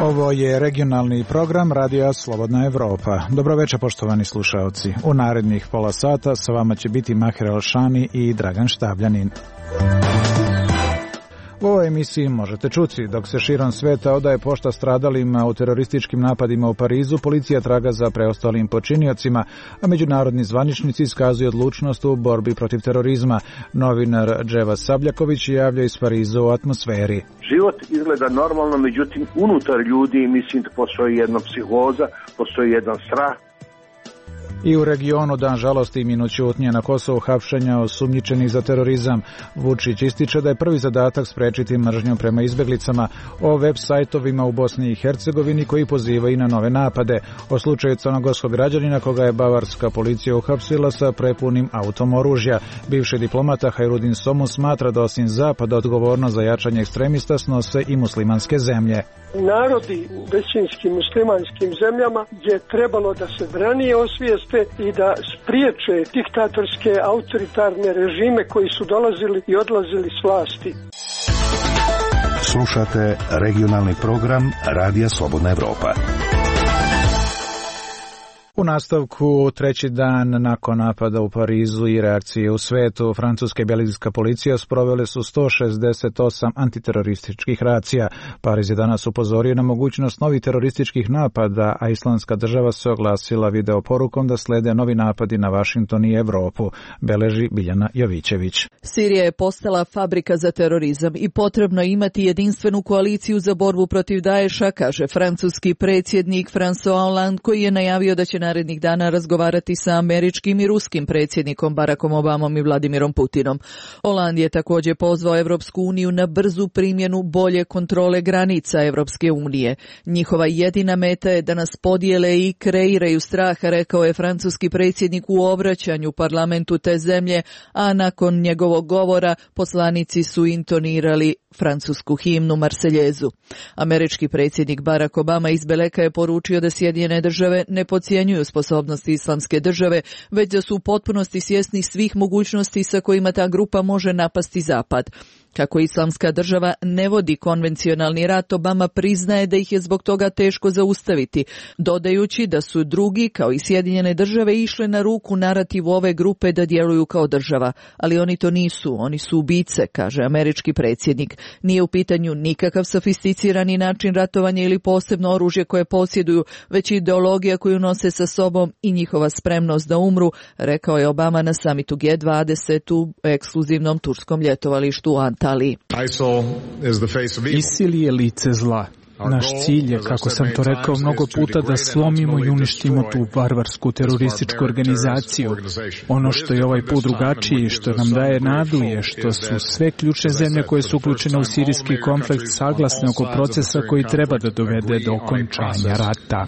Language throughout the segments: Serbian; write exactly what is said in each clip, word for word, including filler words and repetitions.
Ovo je regionalni program Radija Slobodna Evropa. Dobro večer, poštovani slušaoci. U narednih pola sata sa vama će biti Maher Alšani i Dragan Štabljanin. U ovoj emisiji možete čuti, dok se širom sveta odaje pošta stradalima u terorističkim napadima u Parizu, policija traga za preostalim počiniocima, a međunarodni zvaničnici iskazuju odlučnost u borbi protiv terorizma. Novinar Dževa Sabljaković javlja iz Pariza u atmosferi. Život izgleda normalno, međutim unutar ljudi mislim da postoji jedna psihoza, postoji jedan strah. I u regionu dan žalosti i minut ćutnje na Kosovu, hapšenja osumnjičenih za terorizam. Vučić ističe da je prvi zadatak sprečiti mržnju prema izbeglicama, o web sajtovima u Bosni i Hercegovini koji pozivaju na nove napade, o slučaju crnogorskog građanina koga je bavarska policija uhapsila sa prepunim autom oružja. Bivši diplomata Hajrudin Somu smatra da osim Zapada odgovornost za jačanje ekstremista snose i muslimanske zemlje. Narodi u većinskim muslimanskim zemljama je trebalo da se ranije osvijeste i da spriječe diktatorske autoritarne režime koji su dolazili i odlazili s vlasti. Slušate regionalni program Radija Slobodna Evropa. U nastavku, treći dan nakon napada u Parizu i reakcije u svetu, francuska i belgijska policija sprovele su sto šezdeset osam antiterorističkih racija. Pariz je danas upozorio na mogućnost novih terorističkih napada, a Islamska država se oglasila videoporukom da slede novi napadi na Vašington i Evropu, beleži Biljana Jovićević. Sirija je postala fabrika za terorizam i potrebno imati jedinstvenu koaliciju za borbu protiv Daesha, kaže francuski predsjednik François Hollande, koji je najavio da će narednih dana razgovarati sa američkim i ruskim predsjednikom Barackom Obamom i Vladimirom Putinom. Hollande je također pozvao Evropsku uniju na brzu primjenu bolje kontrole granica Evropske unije. Njihova jedina meta je da nas podijele i kreiraju strah, rekao je francuski predsjednik u obraćanju parlamentu te zemlje, a nakon njegovog govora poslanici su intonirali francusku himnu Marseljezu. Američki predsjednik Barack Obama iz Beleka je poručio da Sjedinjene države ne podcjenjuju sposobnosti Islamske države, već da su u potpunosti svjesni svih mogućnosti sa kojima ta grupa može napasti Zapad. Kako Islamska država ne vodi konvencionalni rat, Obama priznaje da ih je zbog toga teško zaustaviti, dodajući da su drugi, kao i Sjedinjene države, išle na ruku narativu ove grupe da djeluju kao država. Ali oni to nisu, oni su ubice, kaže američki predsjednik. Nije u pitanju nikakav sofisticirani način ratovanja ili posebno oružje koje posjeduju, već ideologija koju nose sa sobom i njihova spremnost da umru, rekao je Obama na samitu G dvadeset u ekskluzivnom turskom ljetovalištu u Antaliji. ISIL je lice zla. Naš cilj je, kako sam to rekao mnogo puta, da slomimo i uništimo tu varvarsku terorističku organizaciju. Ono što je ovaj put drugačije i što nam daje nadu je što su sve ključne zemlje koje su uključene u sirijski konflikt saglasne oko procesa koji treba da dovede do okončanja rata.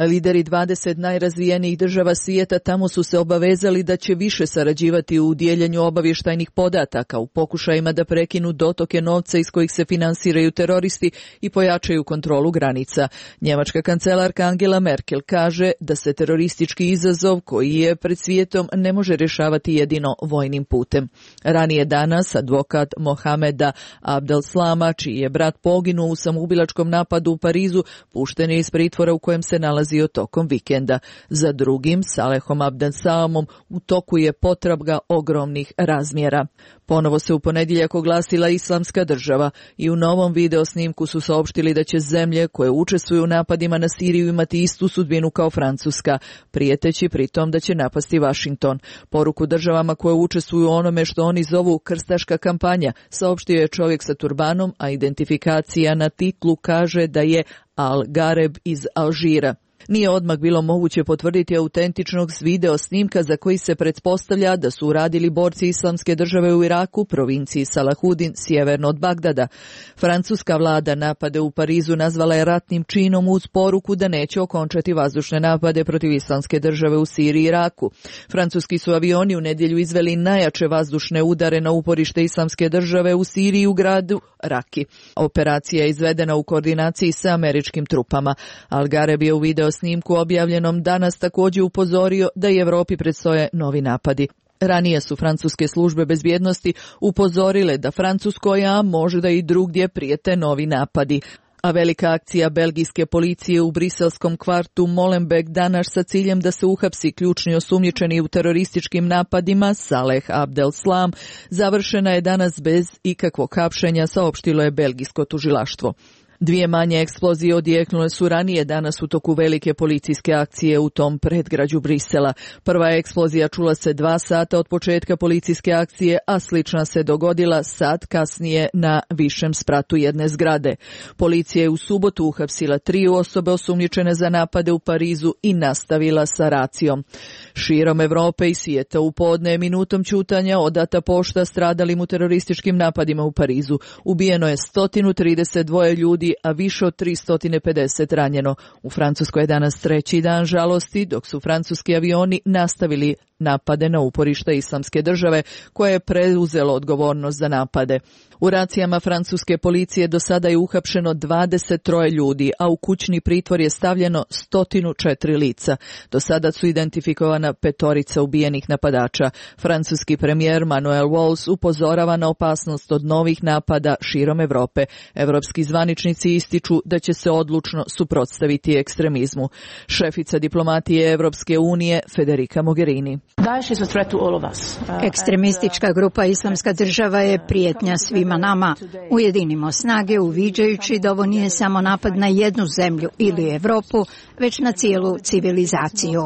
Lideri dvadeset najrazvijenijih država svijeta tamo su se obavezali da će više sarađivati u dijeljenju obavještajnih podataka u pokušajima da prekinu dotoke novca iz kojih se finansiraju teroristi i pojačaju kontrolu granica. Njemačka kancelarka Angela Merkel kaže da se teroristički izazov koji je pred svijetom ne može rješavati jedino vojnim putem. Ranije danas advokat Mohameda Abdel Slama, čiji je brat poginuo u samoubilačkom napadu u Parizu, pušten je iz pritvora u kojem se nalazi tokom vikenda. Za drugim, Salehom Abdel Salamom, u toku je potraga ogromnih razmjera. Ponovo se u ponedjeljak oglasila Islamska država i u novom video snimku su saopštili da će zemlje koje učestvuju u napadima na Siriju imati istu sudbinu kao Francuska, prijeteći pritom da će napasti Vašington. Poruku državama koje učestvuju u onome što oni zovu krstaška kampanja saopštio je čovjek sa turbanom, a identifikacija na titlu kaže da je Al-Gareb iz Alžira. Nije odmah bilo moguće potvrditi autentičnog s video snimka za koji se pretpostavlja da su uradili borci Islamske države u Iraku, provinciji Salahudin, sjeverno od Bagdada. Francuska vlada napade u Parizu nazvala je ratnim činom uz poruku da neće okončati vazdušne napade protiv Islamske države u Siriji i Iraku. Francuski su avioni u nedjelju izveli najjače vazdušne udare na uporište Islamske države u Siriji u gradu Raki. Operacija je izvedena u koordinaciji sa američkim trupama. Al-Gareb je u video snimku objavljenom danas također upozorio da i Evropi predstoje novi napadi. Ranije su francuske službe bezbjednosti upozorile da Francuskoj, a možda i drugdje, prijete novi napadi. A velika akcija belgijske policije u briselskom kvartu Molenbeek danas sa ciljem da se uhapsi ključni osumnjičeni u terorističkim napadima Saleh Abdeslam završena je danas bez ikakvog hapšenja, saopštilo je belgijsko tužilaštvo. Dvije manje eksplozije odjeknule su ranije danas u toku velike policijske akcije u tom predgrađu Brisela. Prva eksplozija čula se dva sata od početka policijske akcije, a slična se dogodila sat kasnije na višem spratu jedne zgrade. Policija je u subotu uhapsila tri osobe osumnjičene za napade u Parizu i nastavila sa racijom. Širom Evrope i svijeta u podne minutom ćutanja odata pošta stradalim u terorističkim napadima u Parizu. Ubijeno je sto trideset dva ljudi, a više od tristo pedeset ranjeno. U Francuskoj je danas treći dan žalosti, dok su francuski avioni nastavili napade na uporište Islamske države, koje je preuzelo odgovornost za napade. U racijama francuske policije do sada je uhapšeno dvadeset tri ljudi, a u kućni pritvor je stavljeno sto četiri lica. Do sada su identifikovana petorica ubijenih napadača. Francuski premijer Manuel Valls upozorava na opasnost od novih napada širom Evrope. Evropski zvaničnici ističu da će se odlučno suprotstaviti ekstremizmu. Šefica diplomatije Evropske unije Federica Mogherini. Ekstremistička grupa Islamska država je prijetnja svima nama. Ujedinimo snage uviđajući da ovo nije samo napad na jednu zemlju ili Evropu, već na cijelu civilizaciju.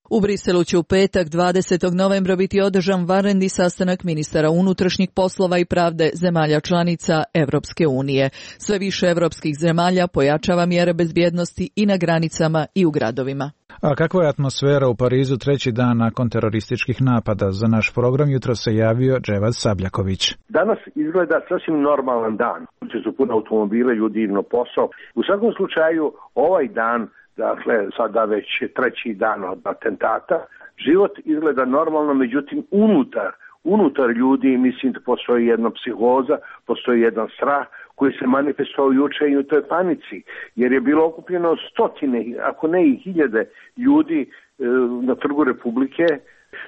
U Briselu će u petak dvadesetog novembra biti održan vanredni sastanak ministara unutrašnjih poslova i pravde zemalja članica Evropske unije. Sve više evropskih zemalja pojačava mjere bezbjednosti i na granicama i u gradovima. A kakva je atmosfera u Parizu treći dan nakon terorističkih napada? Za naš program jutro se javio Dževad Sabljaković. Danas izgleda sasvim normalan dan. Uče su puno automobile, ljudi idu na posao. U svakom slučaju ovaj dan, dakle sada već treći dan od atentata, život izgleda normalno, međutim unutar Unutar ljudi mislim da postoji jedna psihoza, postoji jedan strah koji se manifestovao juče i u toj panici, jer je bilo okupljeno stotine, ako ne i hiljade ljudi e, na Trgu Republike,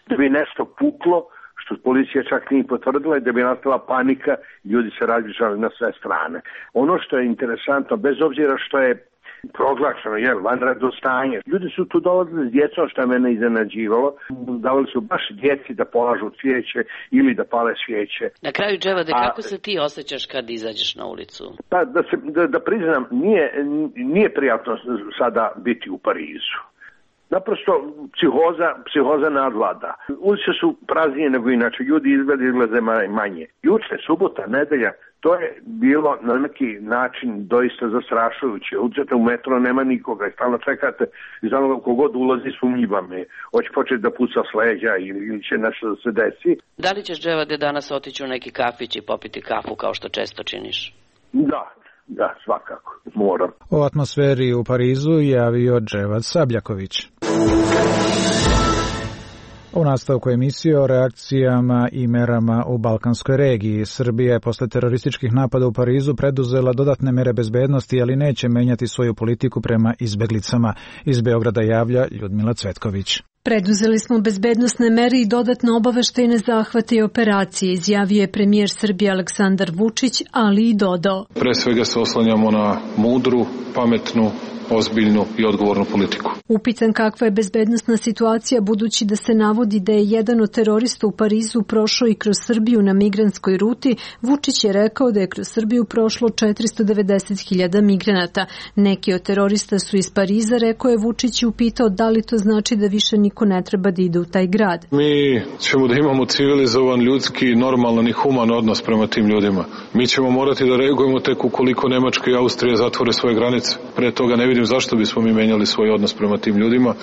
da bi nešto puklo, što policija čak nije potvrdila, da bi nastala panika, ljudi se razbježali na sve strane. Ono što je interesantno, bez obzira što je proglašeno, jer vanredno stanje. Ljudi su tu dolazili s djecom, što je mene iznenađivalo. Davali su baš djeci da polažu cvijeće ili da pale svijeće. Na kraju, Dževade, kako se ti osjećaš kad izađeš na ulicu? Pa, da, se, da, da priznam, nije, nije prijatno sada biti u Parizu. Naprosto psihoza, psihoza nadvlada. Ulice su praznije nego inače, ljudi izgleda izglede manje. Juče, subota, nedelja, to je bilo na neki način doista zastrašujuće. Uđete u metro, nema nikoga i stalno čekate i znamo kogod ulazi sumnjivam je. Hoće početi da puca s leđa ili će nešto da se desi. Da li ćeš, Dževade, danas otići u neki kafić i popiti kafu kao što često činiš? Da. Da, svakako, moram. O atmosferi u Parizu javio Dževad Sabljaković. U nastavku emisije o reakcijama i merama u Balkanskoj regiji. Srbija je posle terorističkih napada u Parizu preduzela dodatne mere bezbednosti, ali neće menjati svoju politiku prema izbeglicama. Iz Beograda javlja Ljudmila Cvetković. Preduzeli smo bezbednosne mere i dodatne obaveštajne zahvate i operacije, izjavio je premijer Srbije Aleksandar Vučić, ali i dodao. Pre svega se oslanjamo na mudru, pametnu, ozbiljnu i odgovornu politiku. Upitan kakva je bezbednosna situacija, budući da se navodi da je jedan od terorista u Parizu prošao i kroz Srbiju na migrantskoj ruti, Vučić je rekao da je kroz Srbiju prošlo četiristo devedeset hiljada migranata. Neki od terorista su iz Pariza, rekao je Vučić i upitao da li to znači da više niko ne treba da ide u taj grad. Mi ćemo da imamo civilizovan, ljudski, normalan i human odnos prema tim ljudima. Mi ćemo morati da reagujemo tek ukoliko Nemačka i Austrija zatvore svoje granice. Pre toga ne vidim zašto bismo mi menjali svoj odnos prema tim ljudima,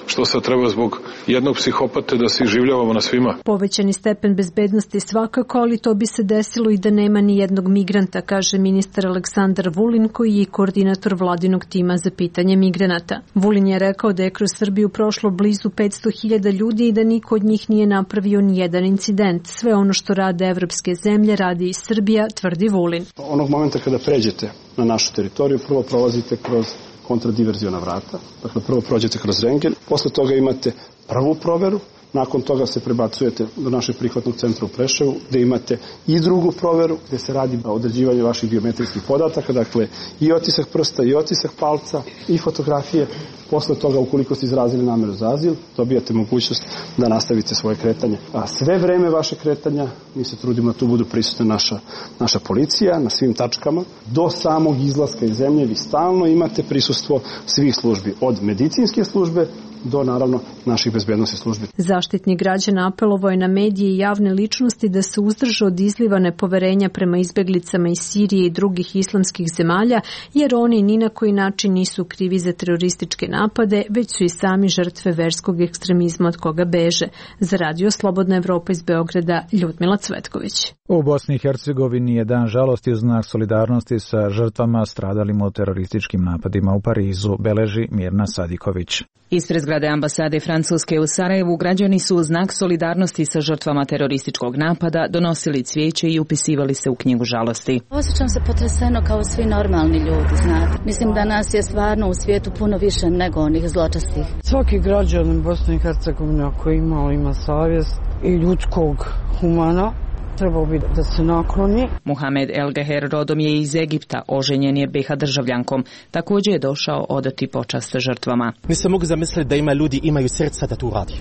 što sad treba zbog jednog psihopate da se življavamo na svima. Povećani stepen bezbednosti svakako, ali to bi se desilo i da nema ni jednog migranta, kaže ministar Aleksandar Vulin, koji je koordinator vladinog tima za pitanje migranata. Vulin je rekao da je kroz Srbiju prošlo blizu petsto hiljada ljudi i da niko od njih nije napravio ni jedan incident. Sve ono što rade evropske zemlje radi i Srbija, tvrdi Vulin. Onog momenta kada pređete na našu teritoriju, prvo prolazite kroz kontradiverziona vrata. Dakle, prvo prođete kroz rendgen, posle toga imate prvu proveru, nakon toga se prebacujete do našeg prihvatnog centra u Preševu, gde imate i drugu proveru, gde se radi o određivanju vaših biometrijskih podataka, dakle i otisak prsta, i otisak palca, i fotografije. Posle toga, ukoliko ste izrazili nameru za azil, dobijate mogućnost da nastavite svoje kretanje. A sve vreme vaše kretanja, mi se trudimo da tu budu prisutna naša, naša policija na svim tačkama. Do samog izlaska iz zemlje vi stalno imate prisustvo svih službi, od medicinske službe do, naravno, naših bezbednosnih službi. Zaštitnik građana apelovao je na medije i javne ličnosti da se uzdrže od izliva nepoverenja prema izbeglicama iz Sirije i drugih islamskih zemalja, jer oni ni na koji način nisu krivi za terorističke napade, već su i sami žrtve verskog ekstremizma od koga beže. Za Radio Slobodna Evropa iz Beograda, Ljudmila Cvetković. U Bosni i Hercegovini je dan žalosti u znak solidarnosti sa žrtvama stradalim u terorističkim napadima u Parizu, beleži Mirna Sadiković. Ispred zgrade ambasade Francuske u Sarajevu građani su u znak solidarnosti sa žrtvama terorističkog napada donosili cvijeće i upisivali se u knjigu žalosti. Osjećam se potreseno kao svi normalni ljudi, znate. Mislim da nas je stvarno u svijetu puno više nego onih zločestih. Svaki građanin Bosne i Hercegovine ako ima, ima savjest i ljudskog humana, trebao bi da se nakloni. Muhamed El Geher rodom je iz Egipta, oženjen je be ha državljankom. Također je došao odati počast žrtvama. Nisam mogu zamisliti da ima ljudi imaju srca da tu radi.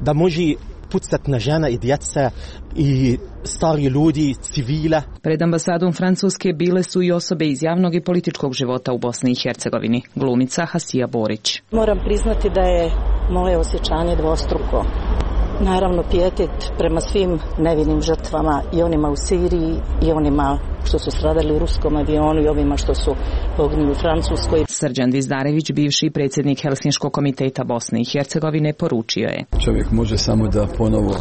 Da može pucati na žena i djeca i stari ljudi, civila. Pred ambasadom Francuske bile su i osobe iz javnog i političkog života u Bosni i Hercegovini. Glumica Hasija Borić. Moram priznati da je moje osjećanje dvostruko. Naravno, pijetet prema svim nevinim žrtvama, i onima u Siriji i onima što su stradali u ruskom avionu i ovima što su poginuli u Francuskoj. Srđan Dizdarević, bivši predsjednik Helsinškog komiteta Bosne i Hercegovine, poručio je: čovjek može samo da ponovo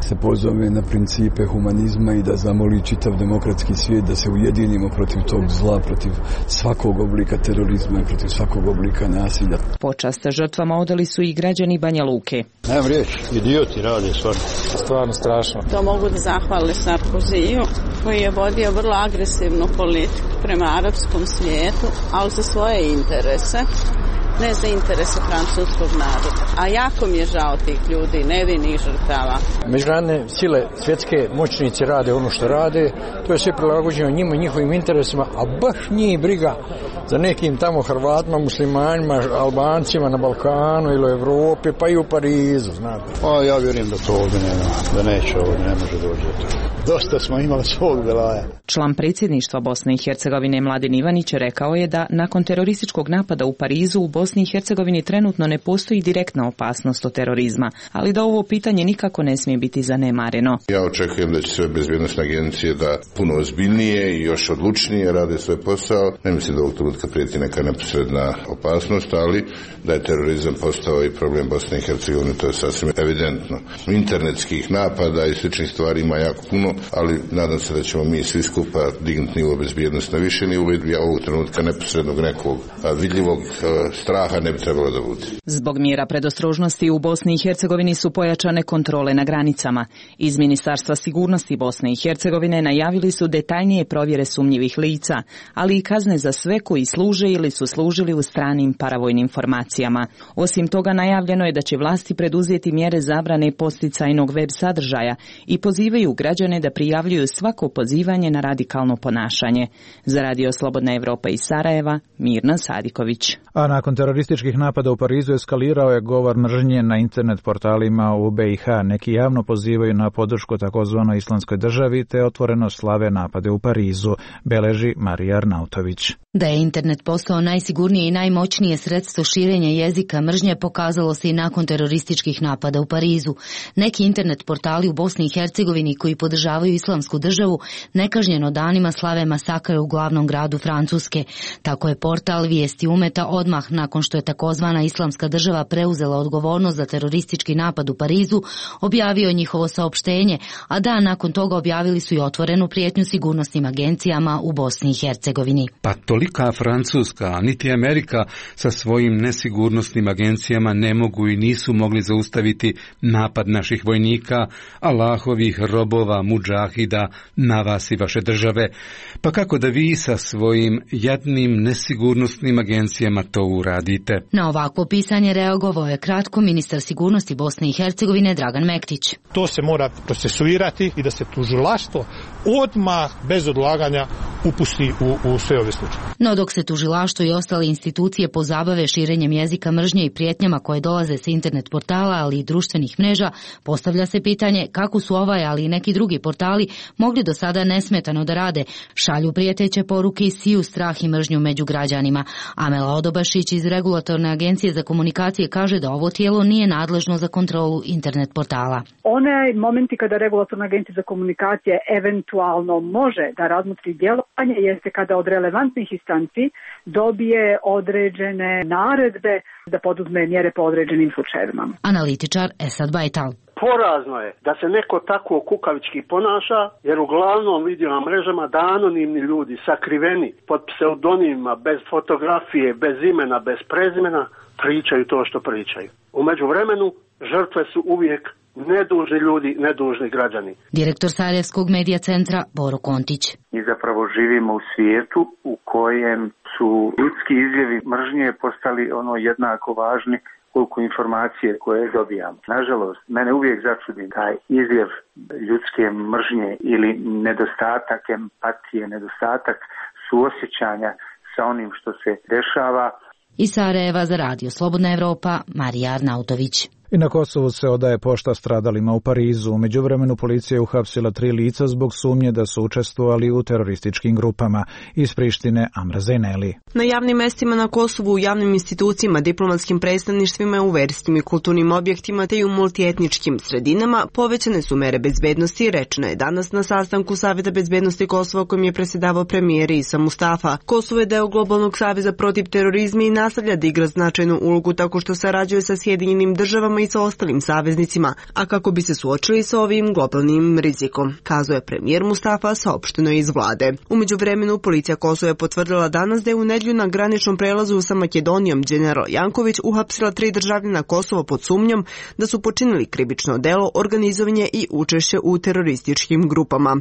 se pozove na principe humanizma i da zamoli čitav demokratski svijet da se ujedinimo protiv tog zla, protiv svakog oblika terorizma i protiv svakog oblika nasilja. Počast žrtvama odali su i građani Banja Luke. Nemam riječ, idioti rade stvarno. Stvarno strašno. To mogu da zahvali Sarkoziju, koji je vodio vrlo agresivnu politiku prema arapskom svijetu, ali za svoje interese, ne za interese francuskog naroda. A jako mi je žao tih ljudi, nevinih žrtava. Međunarodne sile, svjetske moćnici rade ono što rade, to je sve prilagođeno njima, njihovim interesima, a baš njih briga za nekim tamo Hrvatima, muslimanima, Albancima na Balkanu ili u Evropi, pa i u Parizu, znate. A ja vjerujem da to ovdje nema, da neće ovdje, ne može doći do toga. Dosta smo imali svog velaja. Član predsjedništva Bosne i Hercegovine Mladen Ivanić rekao je da nakon terorističkog napada u Parizu u Bosni i Hercegovini trenutno ne postoji direktna opasnost od terorizma, ali da ovo pitanje nikako ne smije biti zanemareno. Ja očekujem da će sve bezbjednosne agencije da puno ozbiljnije i još odlučnije rade svoj posao. Ne mislim da ovog trenutka prijeti neka neposredna opasnost, ali da je terorizam postao i problem Bosne i Hercegovine, to je sasvim evidentno. Internetskih napada i sličnih stvari ima jako puno, ali nadam se da ćemo mi svi skupa dignuti nivo bezbjednosti na više nivo i ovog trenutka neposrednog nekog vidljivog straha ne bi trebalo da bude. Zbog mjera predostrožnosti u Bosni i Hercegovini su pojačane kontrole na granicama. Iz Ministarstva sigurnosti Bosne i Hercegovine najavili su detaljnije provjere sumnjivih lica, ali i kazne za sve koji služe ili su služili u stranim paravojnim formacijama. Osim toga, najavljeno je da će vlasti preduzeti mjere zabrane podsticajnog web sadržaja i pozivaju građane da prijavljuju svako pozivanje na radikalno ponašanje. Za Radio Slobodna Evropa iz Sarajeva, Mirna Sadiković. A nakon terorističkih napada u Parizu eskalirao je govor mržnje na internet portalima u be i ha. Neki javno pozivaju na podršku takozvanoj islamskoj državi te otvoreno slave napade u Parizu, beleži Marija Arnautović. Da je internet postao najsigurnije i najmoćnije sredstvo širenja jezika mržnje pokazalo se i nakon terorističkih napada u Parizu. Neki internet portali u Bosni i Hercegovini koji podržavaju islamsku državu nekažnjeno danima slave masakre u glavnom gradu Francuske. Tako je portal Vijesti Umeta odmah nakon što je takozvana islamska država preuzela odgovornost za teroristički napad u Parizu objavio njihovo saopštenje, a dan nakon toga objavili su i otvorenu prijetnju sigurnosnim agencijama u Bosni i Hercegovini. Pa tolika Francuska, niti Amerika sa svojim nesigurnosnim agencijama ne mogu i nisu mogli zaustaviti napad naših vojnika, Allahovih robova, mudžahida na vas i vaše države. Pa kako da vi sa svojim jadnim nesigurnosnim agencijama to uradite? Na ovako pisanje reagovao je kratko ministar sigurnosti Bosne i Hercegovine Dragan Mektić. To se mora procesuirati i da se tužilaštvo odmah bez odlaganja upusti u, u sve ove slučaje. No dok se tužilaštvo i ostale institucije pozabave širenjem jezika mržnje i prijetnjama koje dolaze sa internet portala, ali i društvenih mreža, postavlja se pitanje kako su ovaj, ali i neki drugi portali mogli do sada nesmetano da rade, šalju prijeteće poruke i siju strah i mržnju među građanima. Amela Odobašić iz Regulatorne agencije za komunikacije kaže da ovo tijelo nije nadležno za kontrolu internet portala. One momenti kada Regulatorna agencija za komunikacije eventualno može da razmotri djelovanje jeste kada od relevantnih instanci dobije određene naredbe da poduzme mjere po određenim slučajevima. Analitičar Esad Bajtal. Porazno je da se neko tako kukavički ponaša, jer uglavnom vidio na mrežama da anonimni ljudi sakriveni pod pseudonimima, bez fotografije, bez imena, bez prezimena, pričaju to što pričaju. U međuvremenu žrtve su uvijek nedužni ljudi, nedužni građani. Direktor Sarajevskog medija centra Boro Kontić. Mi zapravo živimo u svijetu u kojem su ljudski izljevi mržnje postali ono jednako važni koliko informacije koje dobijamo. Nažalost, mene uvijek začudi taj izljev ljudske mržnje ili nedostatak empatije, nedostatak suosjećanja sa onim što se dešava. Iz Sarajeva za Radio Slobodna Evropa, Marija Arnautović. I na Kosovu se odaje pošta stradalima u Parizu. U međuvremenu policija je uhapsila tri lica zbog sumnje da su učestvovali u terorističkim grupama. Iz Prištine Amra Zejneli. Na javnim mestima na Kosovu, u javnim institucijama, diplomatskim predstavništvima, u verskim i kulturnim objektima te i u multietničkim sredinama povećane su mere bezbednosti, rečeno je danas na sastanku Saveta bezbednosti Kosova kojim je predsjedavao premijer Isa Mustafa. Kosovo je deo globalnog saveza protiv terorizma i nastavlja da igra značajnu ulogu tako što sarađuje sa Sjedinjenim državama i sa ostalim saveznicima, a kako bi se suočili sa ovim globalnim rizikom, kazao je premijer Mustafa, saopšteno je iz vlade. U međuvremenu policija Kosova je potvrdila danas da je u nedjelju na graničnom prelazu sa Makedonijom general Janković uhapsila tri državljana Kosova pod sumnjom da su počinili krivično delo, organizovanje i učešće u terorističkim grupama.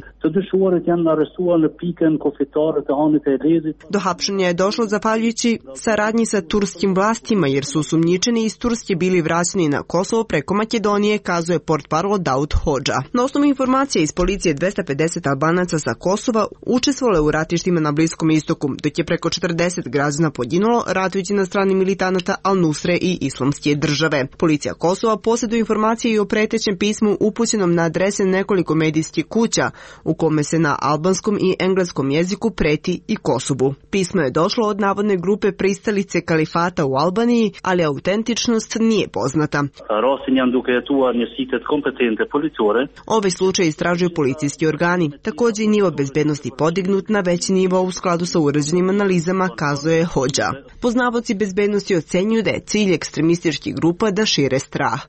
Do hapšenja je došlo zahvaljujući saradnji sa turskim vlastima jer su osumnjičeni iz Turske bili vraćeni na Kosovo preko Makedonije, kazuje portparol Daud Hodža. Na osnovu informacija iz policije dvesta pedeset Albanaca sa Kosova učestvovalo u ratištima na Bliskom istoku, dok je preko četrdeset građana poginulo ratujući na strani militanata Al-Nusre i Islamske države. Policija Kosova posjeduje informacije i o pretećem pismu upućenom na adrese nekoliko medijskih kuća, u kome se na albanskom i engleskom jeziku preti i Kosovu. Pismo je došlo od navodne grupe pristalice kalifata u Albaniji, ali autentičnost nije poznata. Ovaj slučaj istražuju policijski organi. Također i nivo bezbednosti podignut na veći nivo u skladu sa urađenim analizama, kazuje Hodža. Poznavaoci bezbednosti ocenjuju da je cilj ekstremističkih grupa da šire strah.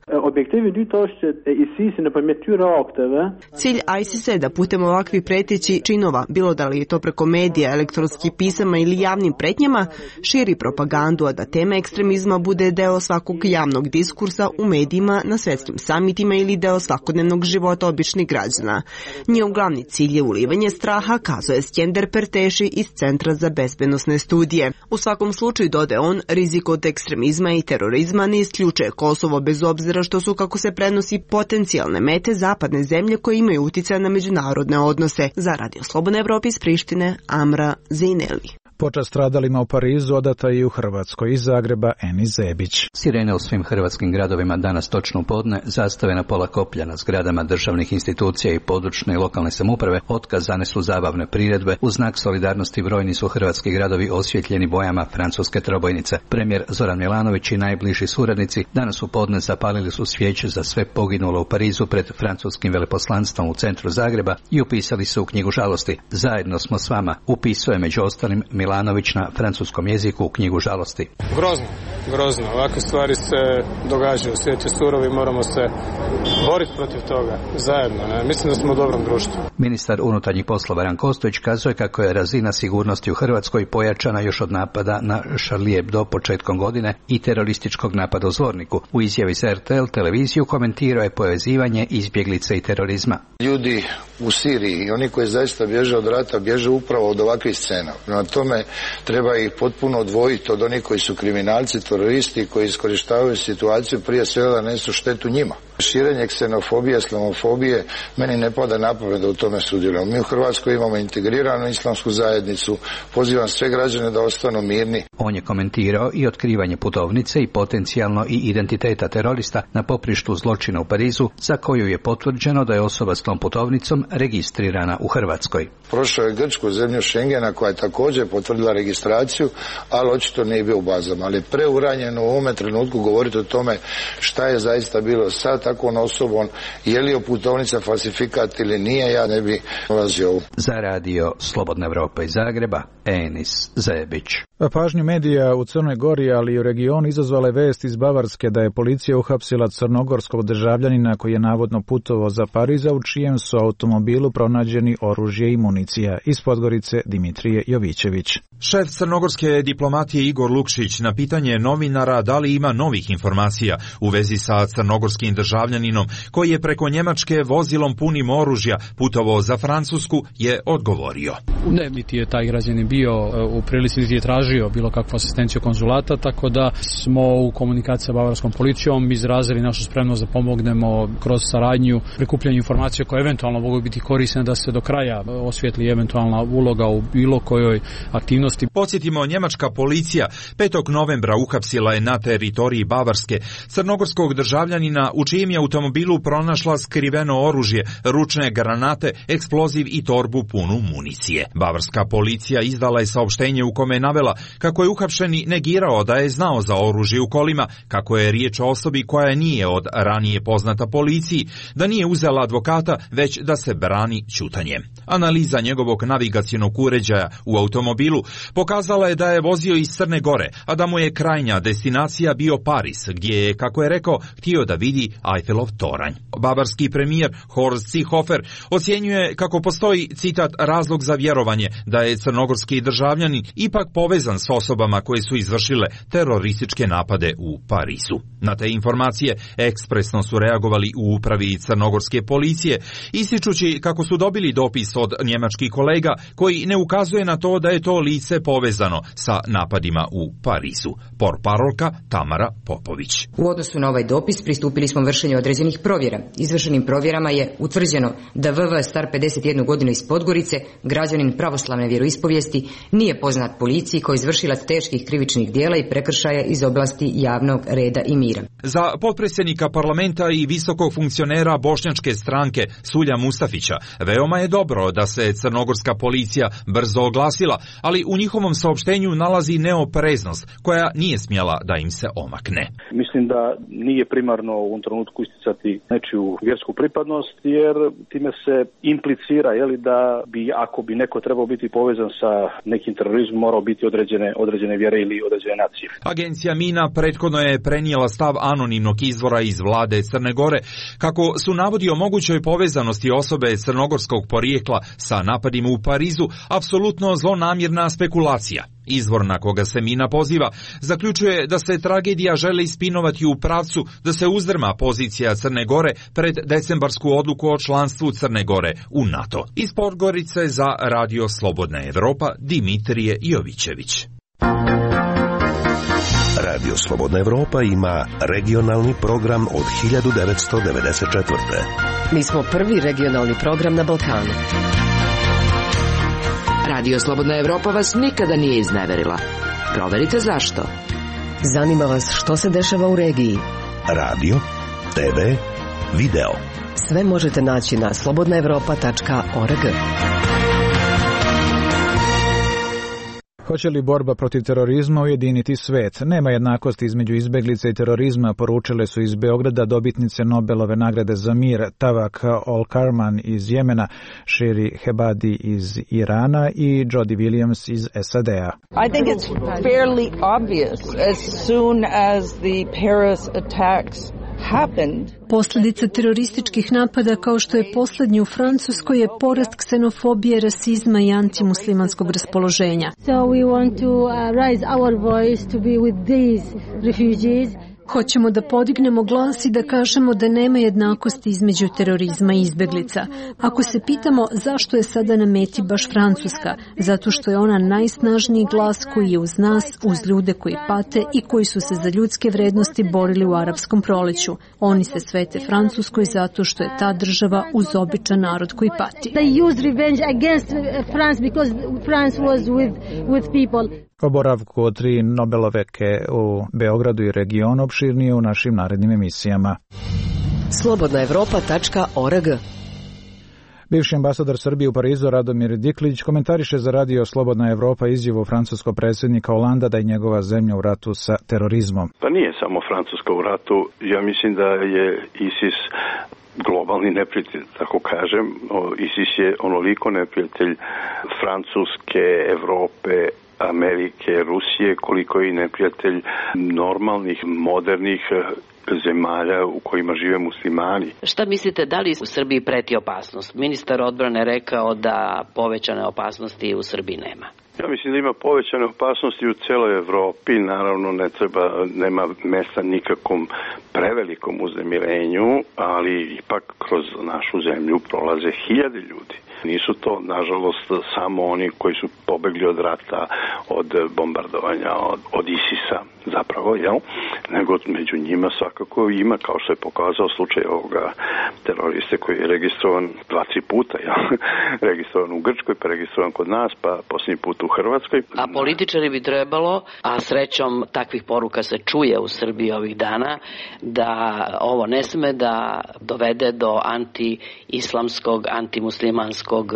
Cilj ISIS-a je da putem ovakvih preteći činova, bilo da li je to preko medija, elektronskih pisama ili javnim pretnjama, širi propagandu, a da tema ekstremizma bude deo svakog javnog diskursa u medijima, na svjetskim samitima ili deo svakodnevnog života običnih građana. Njihov glavni cilj je ulivanje straha, kazuje Skender Perteši iz Centra za bezbednosne studije. U svakom slučaju, dodaje on, rizik od ekstremizma i terorizma ne isključuje Kosovo bez obzira što su, kako se prenosi, potencijalne mete zapadne zemlje koje imaju utjecaj na međunarodne odnose. Za Radio Slobodna Evropa iz Prištine, Amra Zejneli. Počast stradalima u Parizu odata i u Hrvatskoj. Iz Zagreba Eni Zebić. Sirene u svim hrvatskim gradovima danas točno u podne, zastave na pola koplja na zgradama državnih institucija i područne i lokalne samouprave, otkazane su zabavne priredbe, u znak solidarnosti brojni su hrvatski gradovi osvjetljeni bojama francuske trobojnice. Premijer Zoran Milanović i najbliži suradnici danas u podne zapalili su svijeće za sve poginulo u Parizu pred francuskim veleposlanstvom u centru Zagreba i upisali se u knjigu žalosti. Zajedno smo s vama, upisuje među ostalim Milanović Milanović na francuskom jeziku u knjigu Žalosti. Grozno, grozno. Ovakve stvari se događaju. Svijet je surov i moramo se boriti protiv toga zajedno. Ne? Mislim da smo u dobrom društvu. Ministar unutarnjih poslova Ranko Ostojić kazuje kako je razina sigurnosti u Hrvatskoj pojačana još od napada na Charlie Hebdo početkom godine i terorističkog napada u Zvorniku. U izjavi za R T L televiziju komentirao je povezivanje izbjeglice i terorizma. Ljudi u Siriji i oni koji zaista bježe od rata bježe upravo od ovakvih scena. Na tome treba ih potpuno odvojiti od onih koji su kriminalci, teroristi koji iskorištavaju situaciju prije svega da nesu štetu njima. Širenje ksenofobije, islamofobije, meni ne pada na pamet da u tome sudjelujemo. Mi u Hrvatskoj imamo integriranu islamsku zajednicu, pozivam sve građane da ostanu mirni. On je komentirao i otkrivanje putovnice i potencijalno i identiteta terorista na poprištu zločina u Parizu, za koju je potvrđeno da je osoba s tom putovnicom registrirana u Hrvatskoj. Prošao je Grčku, zemlju Schengena, koja je također potvrdila registraciju, ali očito nije bio u bazama. Ali je preuranjeno u ovome trenutku govoriti o tome šta je zaista bilo sa takvom osobom, je li je putovnica falsifikat ili nije, ja ne bi ulazio u. Za radio Slobodna Evropa iz Zagreba, Enis Zebić. Pažnju medija u Crnoj Gori, ali i u regionu izazvala je vest iz Bavarske da je policija uhapsila crnogorskog državljanina koji je navodno putovao za Pariza, u čijem su automobilu pronađeni oružje i municija. Iz Podgorice Dimitrije Jovićević. Šef crnogorske diplomatije Igor Lukšić na pitanje novinara da li ima novih informacija u vezi sa crnogorskim državljaninom koji je preko Njemačke vozilom punim oružja putovao za Francusku je odgovorio. Ne, niti je taj građanin bio u prilici, niti je tražio bilo kakvu asistenciju konzulata, tako da smo u komunikaciji sa bavarskom policijom izrazili našu spremnost da pomognemo kroz saradnju prikupljanju informacija koje eventualno mogu biti korisne da se do kraja osvijetli eventualna uloga u bilo kojoj aktivnosti. Podsjetimo, njemačka policija petog novembra uhapsila je na teritoriji Bavarske crnogorskog državljanina u čijem je automobilu pronašla skriveno oružje, ručne granate, eksploziv i torbu punu municije. Bavarska policija izdala je saopštenje u kome je navela kako je uhapšeni negirao da je znao za oružje u kolima, kako je riječ o osobi koja nije od ranije poznata policiji, da nije uzela advokata, već da se brani ćutanjem. Analiza njegovog navigacionog uređaja u automobilu pokazala je da je vozio iz Crne Gore, a da mu je krajnja destinacija bio Pariz, gdje je, kako je rekao, htio da vidi Eiffelov toranj. Bavarski premijer Horst Seehofer ocjenjuje kako postoji, citat, razlog za vjerovanje da je crnogorski državljanin ipak povezan s osobama koje su izvršile terorističke napade u Parizu. Na te informacije ekspresno su reagovali u upravi crnogorske policije, ističući kako su dobili dopis od njemačkih kolega koji ne ukazuje na to da je to lice povezano sa napadima u Parizu. Portparolka Tamara Popović. U odnosu na ovaj dopis pristupili smo vršenju određenih provjera. Izvršenim provjerama je utvrđeno da V V star pedeset jednu godinu iz Podgorice, građanin pravoslavne vjeroispovijesti, nije poznat policiji koji je izvršilac teških krivičnih djela i prekršaja iz oblasti javnog reda i mira. Za potpredsjednika parlamenta i visokog funkcionera bošnjačke stranke Sulja Mustafića veoma je dobro da se crnogorska policija brzo oglasila, ali u njihovom saopštenju nalazi neopreznost koja nije smjela da im se omakne. Mislim da nije primarno u ovom trenutku isticati nečiju vjersku pripadnost, jer time se implicira, jeli, da bi, ako bi neko trebao biti povezan sa nekim terorizmom, morao biti određene, određene vjere ili određene nacije. Agencija Mina prethodno je prenijela stav anonimnog izvora iz vlade Crne Gore, kako su navodi o mogućoj povezanosti osobe crnogorskog porijekla sa napadima u Parizu apsolutno zlonamjerna spekulacija. Izvor na koga se Mina poziva zaključuje da se tragedija želi ispinovati u pravcu da se uzdrma pozicija Crne Gore pred decembarsku odluku o članstvu Crne Gore u NATO. Iz Podgorice za Radio Slobodna Evropa Dimitrije Jovićević. Radio Slobodna Evropa ima regionalni program od hiljadu devetsto devedeset četvrte. Mi smo prvi regionalni program na Balkanu. Radio Slobodna Evropa vas nikada nije izneverila. Proverite zašto. Zanima vas što se dešava u regiji. Radio, te ve, video. Sve možete naći na slobodna evropa tačka org. Hoće li borba protiv terorizma ujediniti svet? Nema jednakosti između izbeglica i terorizma, poručile su iz Beograda dobitnice Nobelove nagrade za mir Tawak Al-Karman iz Jemena, Shiri Hebadi iz Irana i Jody Williams iz S A D-a. I think it's fairly obvious as soon as the Paris attacks happened. Posljedica terorističkih napada kao što je posljednji u Francuskoj je porast ksenofobije, rasizma i antimuslimanskog raspoloženja. So we want to uh, raise our voice to be with these refugees. Hoćemo da podignemo glas i da kažemo da nema jednakosti između terorizma i izbeglica. Ako se pitamo zašto je sada na meti baš Francuska, zato što je ona najsnažniji glas koji je uz nas, uz ljude koji pate i koji su se za ljudske vrednosti borili u arapskom proleću. Oni se svete Francuskoj zato što je ta država uz običan narod koji pati. They used revenge against France because France was with with people. O boravku od tri Nobeloveke u Beogradu i regionu opširnije u našim narednim emisijama. slobodna evropa tačka org. Bivši ambasador Srbije u Parizu Radomir Diklić komentariše za radio Slobodna Evropa izjavu francuskog predsjednika Holanda da je njegova zemlja u ratu sa terorizmom. Pa nije samo Francuska u ratu, ja mislim da je ISIS globalni neprijatelj, tako kažem. ISIS je onoliko neprijatelj Francuske, Evrope, Amerike, Rusije, koliko je i neprijatelj normalnih, modernih zemalja u kojima žive muslimani. Šta mislite, da li u Srbiji preti opasnost? Ministar odbrane rekao da povećane opasnosti u Srbiji nema. Ja mislim da ima povećane opasnosti u celoj Evropi, naravno ne treba, nema mesta nikakvom prevelikom uznemirenju, ali ipak kroz našu zemlju prolaze hiljade ljudi. Nisu to, nažalost, samo oni koji su pobegli od rata, od bombardovanja, od, od ISIS-a zapravo, jel? Nego među njima svakako ima, kao što je pokazao slučaj ovoga teroriste koji je registrovan dva, tri puta, jel? Registrovan u Grčkoj, pa registrovan kod nas, pa posljednji put u Hrvatskoj. A političari bi trebalo, a srećom takvih poruka se čuje u Srbiji ovih dana, da ovo ne sme da dovede do anti-islamskog, antimuslimanskog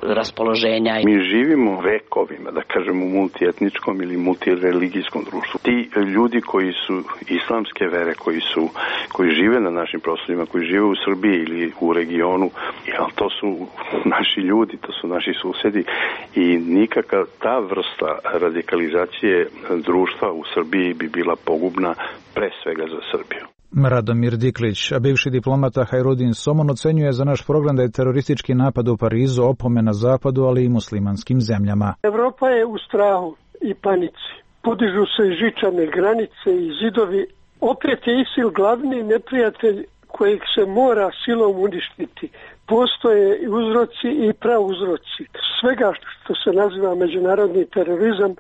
raspoloženja. Mi živimo vekovima, da kažem, u multietničkom ili multireligijskom društvu. Ti ljudi koji su islamske vere, koji su, koji žive na našim prostorima, koji žive u Srbiji ili u regionu, jel, to su naši ljudi, to su naši susedi i nikakva ta vrsta radikalizacije društva u Srbiji bi bila pogubna pre svega za Srbiju. Radomir Diklić, a bivši diplomata Hajrudin Somon ocenjuje za naš program da je teroristički napad u Parizu opomena Zapadu, ali i muslimanskim zemljama. Evropa je u strahu i panici. Podižu se žičane granice i zidovi. Opet je ISIL glavni neprijatelj kojeg se mora silom uništiti. Postoje i uzroci i prauzroci svega što se naziva međunarodni terorizam.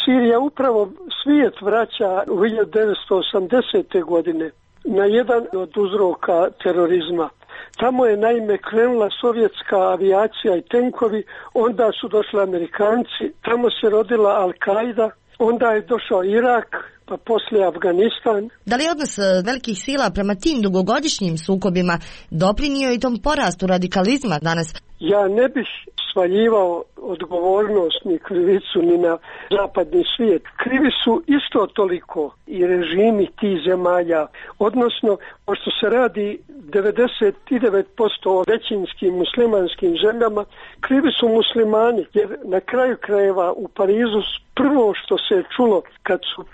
Sirija upravo svijet vraća u hiljadu devetsto osamdesete. godine na jedan od uzroka terorizma. Tamo je naime krenula sovjetska avijacija i tenkovi, onda su došli Amerikanci, tamo se rodila Al-Qaida, onda je došao Irak, pa poslije Afganistan. Da li odnos velikih sila prema tim dugogodišnjim sukobima doprinio i tom porastu radikalizma danas? Ja ne bih svaljivao odgovornost ni krivicu ni na zapadni svijet. Krivi su isto toliko i režimi tih zemalja, odnosno pošto se radi devedeset devet posto o većinskim muslimanskim zemljama, krivi su muslimani, jer na kraju krajeva u Parizu prvo što se je čulo kad su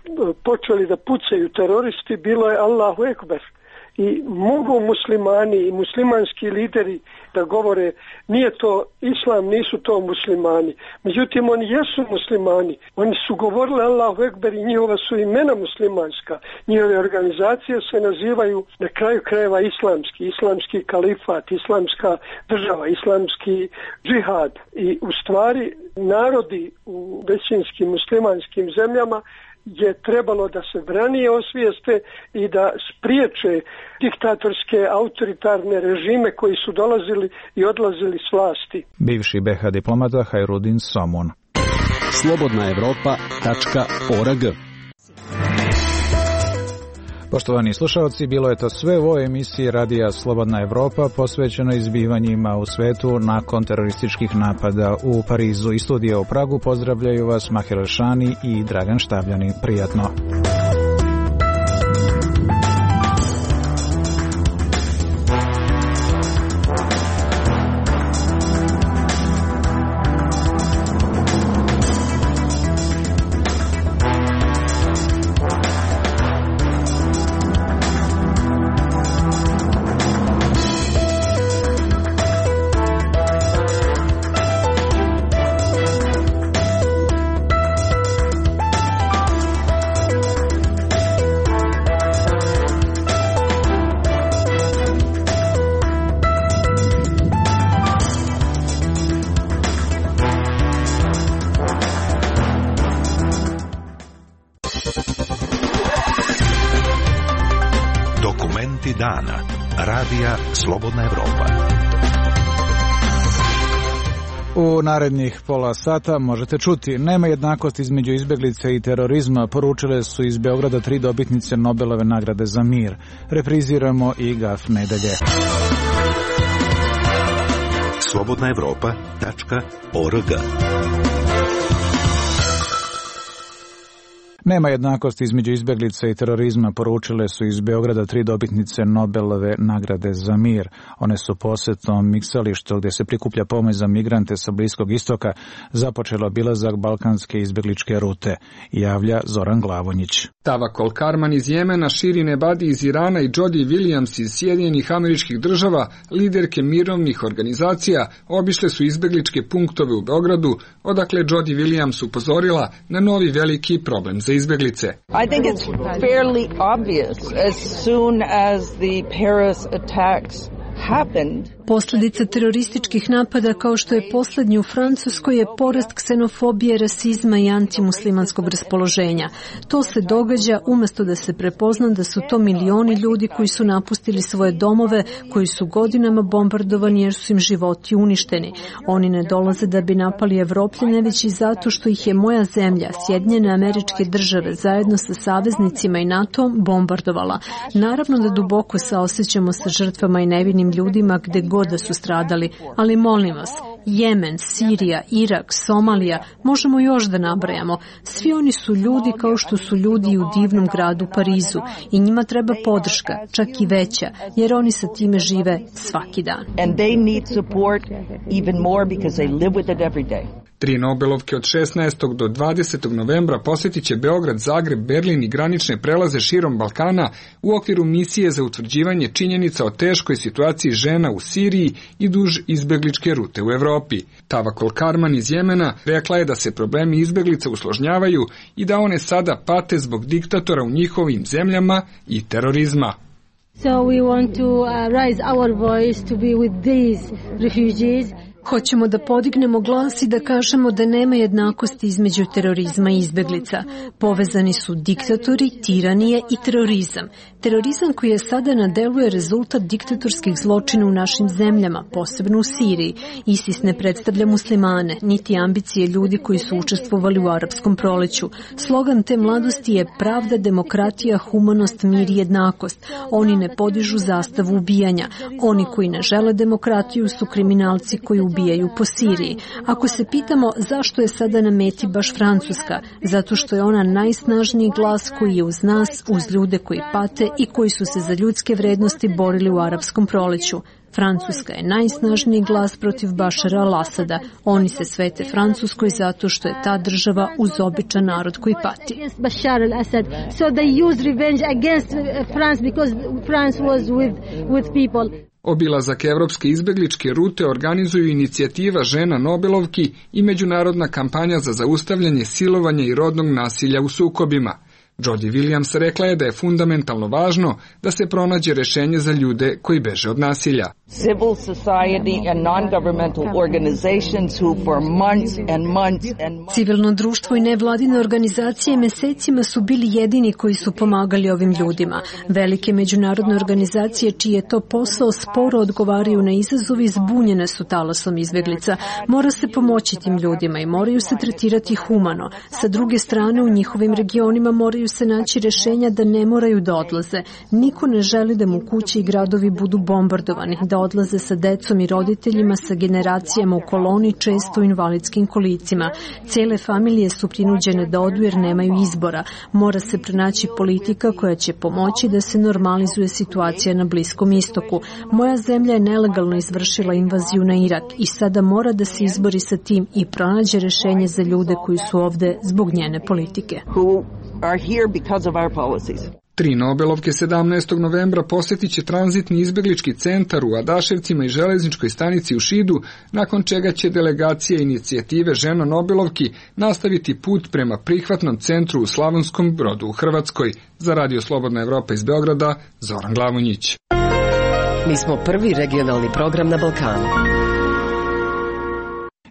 počeli da pucaju teroristi bilo je Allahu Ekber. I mogu muslimani i muslimanski lideri da govore nije to islam, nisu to muslimani. Međutim, oni jesu muslimani. Oni su govorili Allahu Ekber i njihova su imena muslimanska. Njihove organizacije se nazivaju na kraju krajeva islamski, islamski kalifat, islamska država, islamski džihad. I u stvari narodi u većinskim muslimanskim zemljama je trebalo da se branije osvijeste i da spriječe diktatorske autoritarne režime koji su dolazili i odlazili s vlasti. Bivši be ha diplomata Hajrudin Somon. slobodna evropa tačka org. Poštovani slušalci, bilo je to sve u ovoj emisiji Radija Slobodna Evropa posvećeno izbivanjima u svetu nakon terorističkih napada u Parizu. I studija u Pragu pozdravljaju vas Mahir Elšani i Dragan Štavljani. Prijatno. Dana. Radija Slobodna Evropa. U narednih pola sata možete čuti: nema jednakosti između izbeglice i terorizma, poručile su iz Beograda tri dobitnice Nobelove nagrade za mir. Repriziramo i Gaf nedelje. slobodna evropa tačka org. Nema jednakosti između izbeglica i terorizma, poručile su iz Beograda tri dobitnice Nobelove nagrade za mir. One su posjetom miksalištu gdje se prikuplja pomoć za migrante sa Bliskog istoka započelo obilazak balkanske izbegličke rute, javlja Zoran Glavonjić. Tavakol Karman iz Jemena, Shirin Ebadi iz Irana i Jodie Williams iz Sjedinjenih Američkih Država, liderke mirovnih organizacija, obišle su izbegličke punktove u Beogradu, odakle Jodie Williams upozorila na novi veliki problem za izbeglice. I think it's fairly obvious as soon as the Paris attacks happened. Posljedica terorističkih napada kao što je posljednji u Francuskoj je porast ksenofobije, rasizma i antimuslimanskog raspoloženja. To se događa umjesto da se prepozna da su to milioni ljudi koji su napustili svoje domove, koji su godinama bombardovani jer su im životi uništeni. Oni ne dolaze da bi napali Evropljane, već i zato što ih je moja zemlja, Sjedinjene Američke Države, zajedno sa saveznicima i NATO bombardovala. Naravno da duboko saosjećamo sa žrtvama i nevinim ljudima gde god da su stradali, ali molim vas, Jemen, Sirija, Irak, Somalija, možemo još da nabrajamo. Svi oni su ljudi kao što su ljudi u divnom gradu Parizu i njima treba podrška, čak i veća, jer oni sa time žive svaki dan. And they need support even more because they live with it every day. Tri Nobelovke od šesnaestog do dvadesetog novembra posjetit će Beograd, Zagreb, Berlin i granične prelaze širom Balkana u okviru misije za utvrđivanje činjenica o teškoj situaciji žena u Siriji i duž izbegličke rute u Evropi. Tavakol Karman iz Jemena rekla je da se problemi izbeglica usložnjavaju i da one sada pate zbog diktatora u njihovim zemljama i terorizma. So we want to uh, raise our voice to be with these refugees. Hoćemo da podignemo glas i da kažemo da nema jednakosti između terorizma i izbeglica. Povezani su diktatori, tiranije i terorizam. Terorizam koji je sada na delu je rezultat diktatorskih zločina u našim zemljama, posebno u Siriji. ISIS ne predstavlja muslimane, niti ambicije ljudi koji su učestvovali u arapskom proleću. Slogan te mladosti je pravda, demokratija, humanost, mir i jednakost. Oni ne podižu zastavu ubijanja. Oni koji ne žele demokratiju su kriminalci koji ubijaju po Siriji. Ako se pitamo zašto je sada na meti baš Francuska, zato što je ona najsnažniji glas koji je uz nas, uz ljude koji pate i koji su se za ljudske vrednosti borili u arapskom proleću. Francuska je najsnažniji glas protiv Bašara al-Asada. Oni se svete Francuskoj zato što je ta država uz običan narod koji pati. Bashar al-Assad. So they use revenge against France because France was with with people. Obilazak evropske izbegličke rute organizuju inicijativa žena Nobelovki i međunarodna kampanja za zaustavljanje silovanja i rodnog nasilja u sukobima. Jodie Williams rekla je da je fundamentalno važno da se pronađe rešenje za ljude koji beže od nasilja. Civil society and non-governmental organizations who for months and months and months... Civilno društvo i nevladine organizacije mesecima su bili jedini koji su pomagali ovim ljudima. Velike međunarodne organizacije čiji je to posao sporo odgovaraju na izazovi, zbunjene su talasom izbeglica. Mora se pomoći tim ljudima i moraju se tretirati humano. Sa druge strane, u njihovim regionima moraju se naći rješenja da ne moraju da odlaze. Niko ne želi da mu kuće i gradovi budu bombardovani, da odlaze sa decom i roditeljima, sa generacijama u koloni, često u invalidskim kolicima. Cijele familije su prinuđene da odu jer nemaju izbora. Mora se pronaći politika koja će pomoći da se normalizuje situacija na Bliskom istoku. Moja zemlja je nelegalno izvršila invaziju na Irak i sada mora da se izbori sa tim i pronađe rješenje za ljude koji su ovde zbog njene politike. Tri Nobelovke sedamnaestog novembra posjetit će tranzitni izbeglički centar u Adaševcima i železničkoj stanici u Šidu, nakon čega će delegacija inicijative Žena Nobelovki nastaviti put prema prihvatnom centru u Slavonskom Brodu u Hrvatskoj. Za Radio Slobodna Evropa iz Beograda, Zoran Glavonjić. Mi smo prvi regionalni program na Balkanu.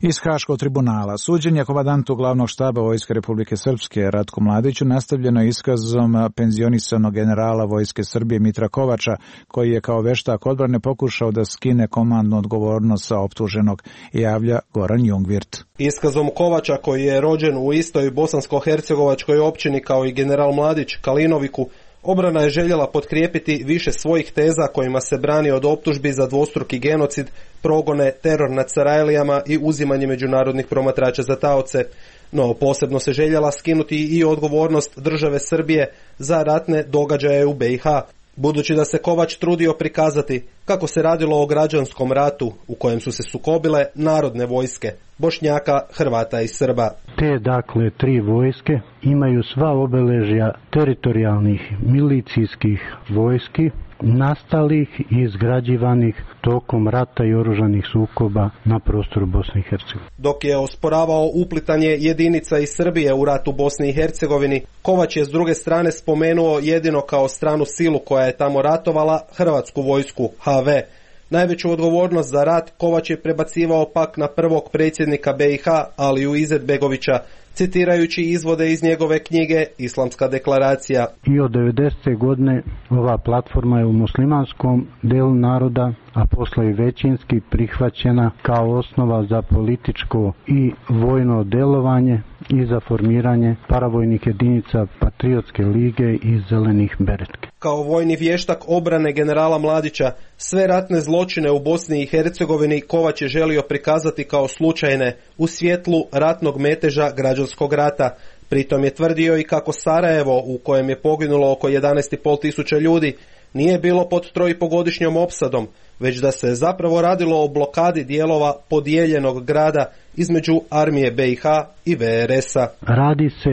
Iz Haškog tribunala suđenje komandantu glavnog štaba Vojske Republike Srpske Ratku Mladiću nastavljeno iskazom penzionisanog generala Vojske Srbije Mitra Kovača, koji je kao veštak odbrane pokušao da skine komandnu odgovornost sa optuženog, javlja Goran Jungvirt. Iskazom Kovača, koji je rođen u istoj bosansko-hercegovačkoj općini kao i general Mladić Kalinoviku, obrana je željela potkrijepiti više svojih teza kojima se brani od optužbi za dvostruki genocid, progone, teror nad Sarajlijama i uzimanje međunarodnih promatrača za taoce. No, posebno se željela skinuti i odgovornost države Srbije za ratne događaje u be i ha. Budući da se Kovač trudio prikazati kako se radilo o građanskom ratu u kojem su se sukobile narodne vojske, Bošnjaka, Hrvata i Srba. Te, dakle, tri vojske imaju sva obeležja teritorijalnih milicijskih vojski, nastalih i izgrađivanih tokom rata i oružanih sukoba na prostoru Bosne i Hercegovine. Dok je osporavao uplitanje jedinica iz Srbije u ratu Bosni i Hercegovini, Kovač je s druge strane spomenuo jedino kao stranu silu koja je tamo ratovala Hrvatsku vojsku, ha ve. Najveću odgovornost za rat Kovač je prebacivao pak na prvog predsjednika be i ha, Aliju Izetbegovića, citirajući izvode iz njegove knjige Islamska deklaracija. I od devedesete godine ova platforma je u muslimanskom delu naroda, a posle i većinski prihvaćena kao osnova za političko i vojno delovanje i za formiranje paravojnih jedinica Patriotske lige i Zelenih beretke. Kao vojni vještak obrane generala Mladića, sve ratne zločine u Bosni i Hercegovini Kovač je želio prikazati kao slučajne u svjetlu ratnog meteža građanskog rata. Pritom je tvrdio i kako Sarajevo, u kojem je poginulo oko jedanaest i pol tisuća ljudi, nije bilo pod trojpogodišnjom opsadom, već da se zapravo radilo o blokadi dijelova podijeljenog grada između armije be i ha i ve er es a. Radi se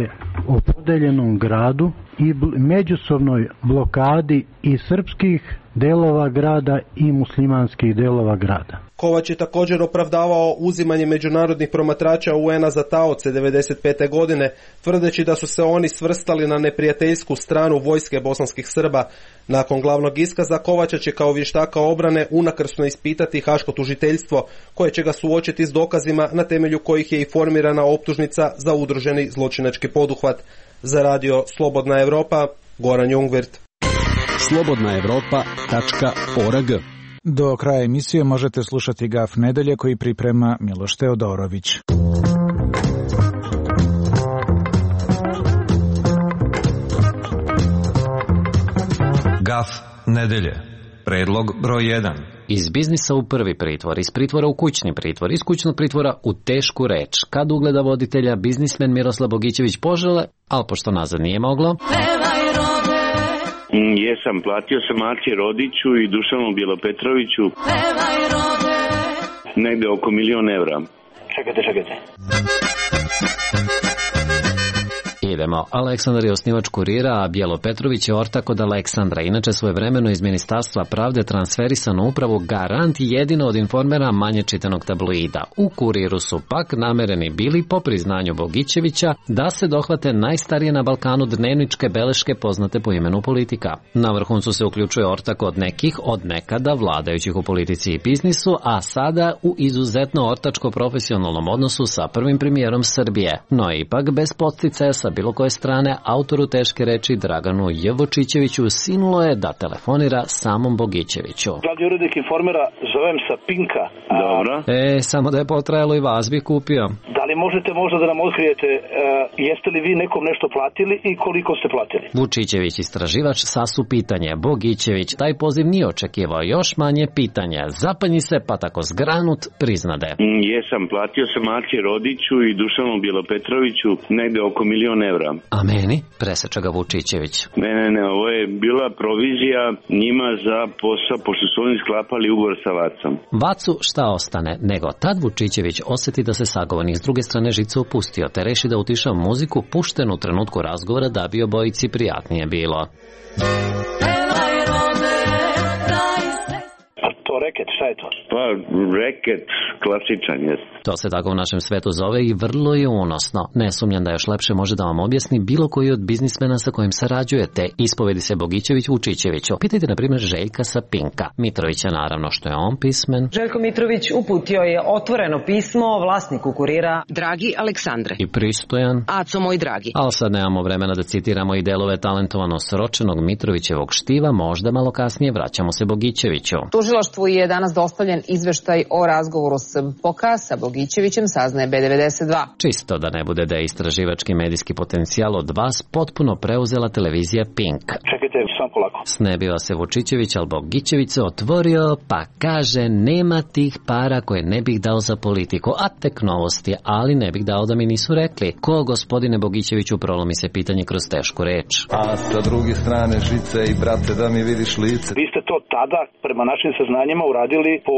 o podeljenom gradu i međusobnoj blokadi i srpskih delova grada i muslimanskih delova grada. Kovač je također opravdavao uzimanje međunarodnih promatrača u en a za taoce devedeset pete godine, tvrdeći da su se oni svrstali na neprijateljsku stranu vojske bosanskih Srba. Nakon glavnog iskaza Kovača će kao vještaka obrane unakrsno ispitati haško tužiteljstvo, koje će ga suočiti s dokazima na temelju kojih je i formirana optužnica za udruženi zločinački poduhvat. Za Radio Slobodna Evropa, Goran Jungvirt. slobodna evropa tačka org. Do kraja emisije možete slušati Gaf nedelje koji priprema Miloš Teodorović. Gaf nedelje. Predlog broj jedan. Iz biznisa u prvi pritvor, iz pritvora u kućni pritvor, iz kućnog pritvora u tešku reč. Kad ugleda voditelja biznismen Miroslav Bogićević požele, ali pošto nazad nije moglo... Jesam, platio sam Aci Rodiću i Dušanu Bjelopetroviću negde oko milion evra. Čekajte, čekajte. Idemo. Aleksandar je osnivač Kurira, a Bijelo Petrović je ortak od Aleksandra. Inače, svojevremeno iz Ministarstva pravde transferisano upravo Garant, jedino od informera manje čitanog tabloida. U Kuriru su pak namereni bili, po priznanju Bogićevića, da se dohvate najstarije na Balkanu dnevničke beleške poznate po imenu Politika. Na vrhuncu se uključuje ortak od nekih, od nekada vladajućih u politici i biznisu, a sada u izuzetno ortačko-profesionalnom odnosu sa prvim premijerom Srbije. No ipak bez podsticaja sa bilo koje strane, autoru teške reči Draganu Jevočićeviću sinulo je da telefonira samom Bogićeviću. Glavni urednik informera, zovem sa Pinka. Dobro. E, samo da je potrajalo i vas bi kupio. Da li možete možda da nam otkrijete uh, jeste li vi nekom nešto platili i koliko ste platili? Vučićević, istraživač, sasu pitanje. Bogićević taj poziv nije očekivao, još manje pitanja. Zapanji se, pa tako zgranut priznade. Mm, jesam, platio sam Aci Rodiću i Dušanu Bjelopetroviću negde oko milion evra. A meni? Preseča ga Vučićević. Ne, ne, ne, ovo je bila provizija njima za posao, pošto su oni sklapali ugovor sa Vacom. Vacu šta ostane, nego tad Vučićević osjeti da se sagovornik s druge strane žice opustio, te reši da utiša muziku puštenu u trenutku razgovora da bi obojici prijatnije bilo. A to reket, šta je to? Pa, reket, klasičan je. To se tako u našem svetu zove i vrlo je unosno. Ne sumnjam da još lepše može da vam objasni bilo koji od biznismena sa kojim sarađujete. Ispovedi se Bogićević Vučićeviću. Pitajte, na primjer, Željka sa Pinka. Mitrovića, naravno, što je on pismen. Željko Mitrović uputio je otvoreno pismo vlasniku Kurira. Dragi Aleksandre. I pristojan. Aco moj dragi. Ali sad nemamo vremena da citiramo i delove talentovano sročenog Mitrovićevog štiva, možda malo kasnije vraćamo se Bogićeviću. Tužilaštvu je danas dostavljen izveštaj o razgovoru s Poka sa Bogićevićem, saznaje B devedeset dva. Čisto da ne bude da je istraživački medijski potencijal od vas potpuno preuzela televizija Pink. Čekajte, sam polako. Snebiva se Vučićević, ali Bogićević se otvorio, pa kaže nema tih para koje ne bih dao za politiku, a tek novosti, ali ne bih dao da mi nisu rekli. Ko, gospodine Bogićeviću, prolomi se pitanje kroz tešku reč. A sa druge strane žice i brate da mi vidiš lice. Vi ste to tada, prema našim saznanjima, uradili po,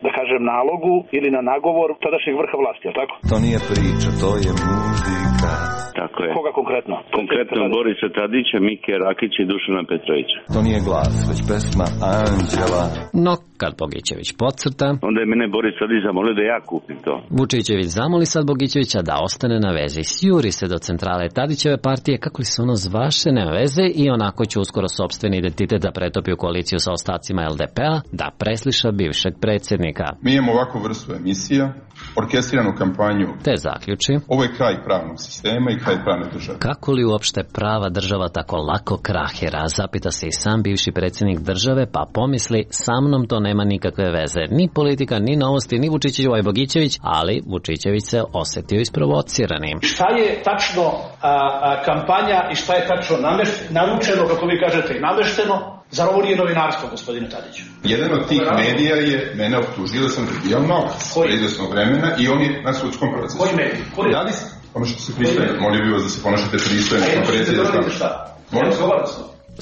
da kažem, nalogu ili na nagovor tadašnjeg vrha vlasti, je tako? To nije priča, to je muzika. Tako je. Koga konkretno? Konkretno Borisa Tadića, Mike Rakića i Dušana Petrovića. To nije glas, već pesma Anđela. No, kad Bogićević podcrta, onda je mene Boris Tadić zamolio da ja kupim to. Vučićević zamoli sad Bogićevića da ostane na vezi. Sjuri se do centrale Tadićeve partije, kako li se ono zvaše, nema veze, i onako će uskoro sopstveni identitet da pretopi u koaliciju sa ostacima el de pe a, da presliša bivšeg predsjednika. Mi imamo ovakvu vrstu emisija, orkestriranu kampanju. Te zaključi. Ovo je kraj pravnog sistema i kraj pravne države. Kako li uopšte prava država tako lako krahira? Zapita se i sam bivši predsjednik države, pa pomisli, sa mnom to nema nikakve veze. Ni politika, ni novosti, ni Vučićević, ovaj Bogićević, ali Vučićević se osjetio isprovociranim. Šta je tačno a, a, kampanja i šta je tačno namešt, naručeno, kako vi kažete, i namešteno? Zar ovo nije novinarstvo, gospodine Tadiću? Jedan od tih medija je mene optužio da sam dobijao novac za izvesnog vremena i on je na sudskom procesu. Koji medij? Koji? Da li se ponašate se pristojno? Molio bih vas da se ponašate pristojno. A jedno što ste doradite šta? Molim se.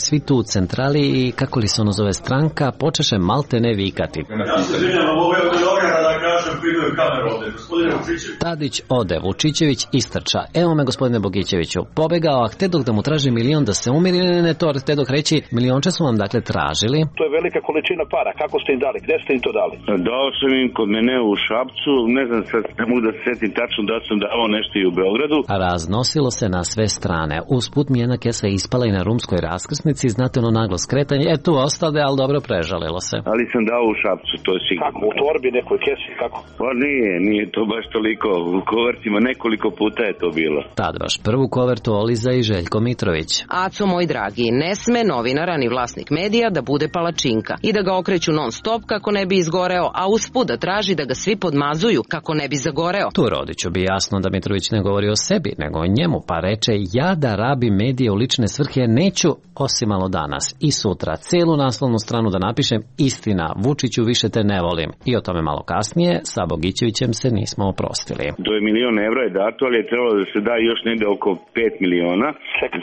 Svi tu u centrali i, kako li se ono zove, stranka, počeše malte ne vikati. Ja se izvinjam, ovo je od novinara da kažem, prinujem kameru ovde. Gospodine Vučićević. Tadić ode, Vučićević istrča. Evo me, gospodine Bogićeviću, pobegao, a htedok da mu traži milion da se umiri, ne, ne, to htedok reći, milionče su vam dakle tražili. To je velika količina para, kako ste im dali, gde ste im to dali? Dao sam im kod mene u Šapcu, ne znam sad, ne mogu da se setim tačno da sam dao nešto i u Beogradu. Raznosilo se na sve strane. Usput mi jedna kesa ispala i na rumskoj raskrsnici, znate ono naglo skretanje, e tu ostade, ali dobro prežalilo se. Ali sam dao u Šapcu, to je sigurno. Kako, u torbi nekoj kesi, kako? Pa nije, nije to baš toliko, u kovertima nekoliko puta je to bilo. Tad baš prvu kovertu oliza i Željko Mitrović. Aco moj dragi, ne sme novinara ni vlasnik medija da bude palačinka i da ga okreću non stop kako ne bi izgoreo, a usput da traži da ga svi podmazuju kako ne bi zagoreo. Tu Rodiću bi jasno da Mitrović ne govori o sebi, nego o njemu, pa reče, ja da rabim medije u lične svrhe neću, osim malo danas i sutra celu naslovnu stranu da napišem istina, Vučiću više te ne volim. I o tome malo kasnije sa Bogićevićem se nismo oprostili. To je milion evra je dato, ali je trebalo da se da još negde oko pet miliona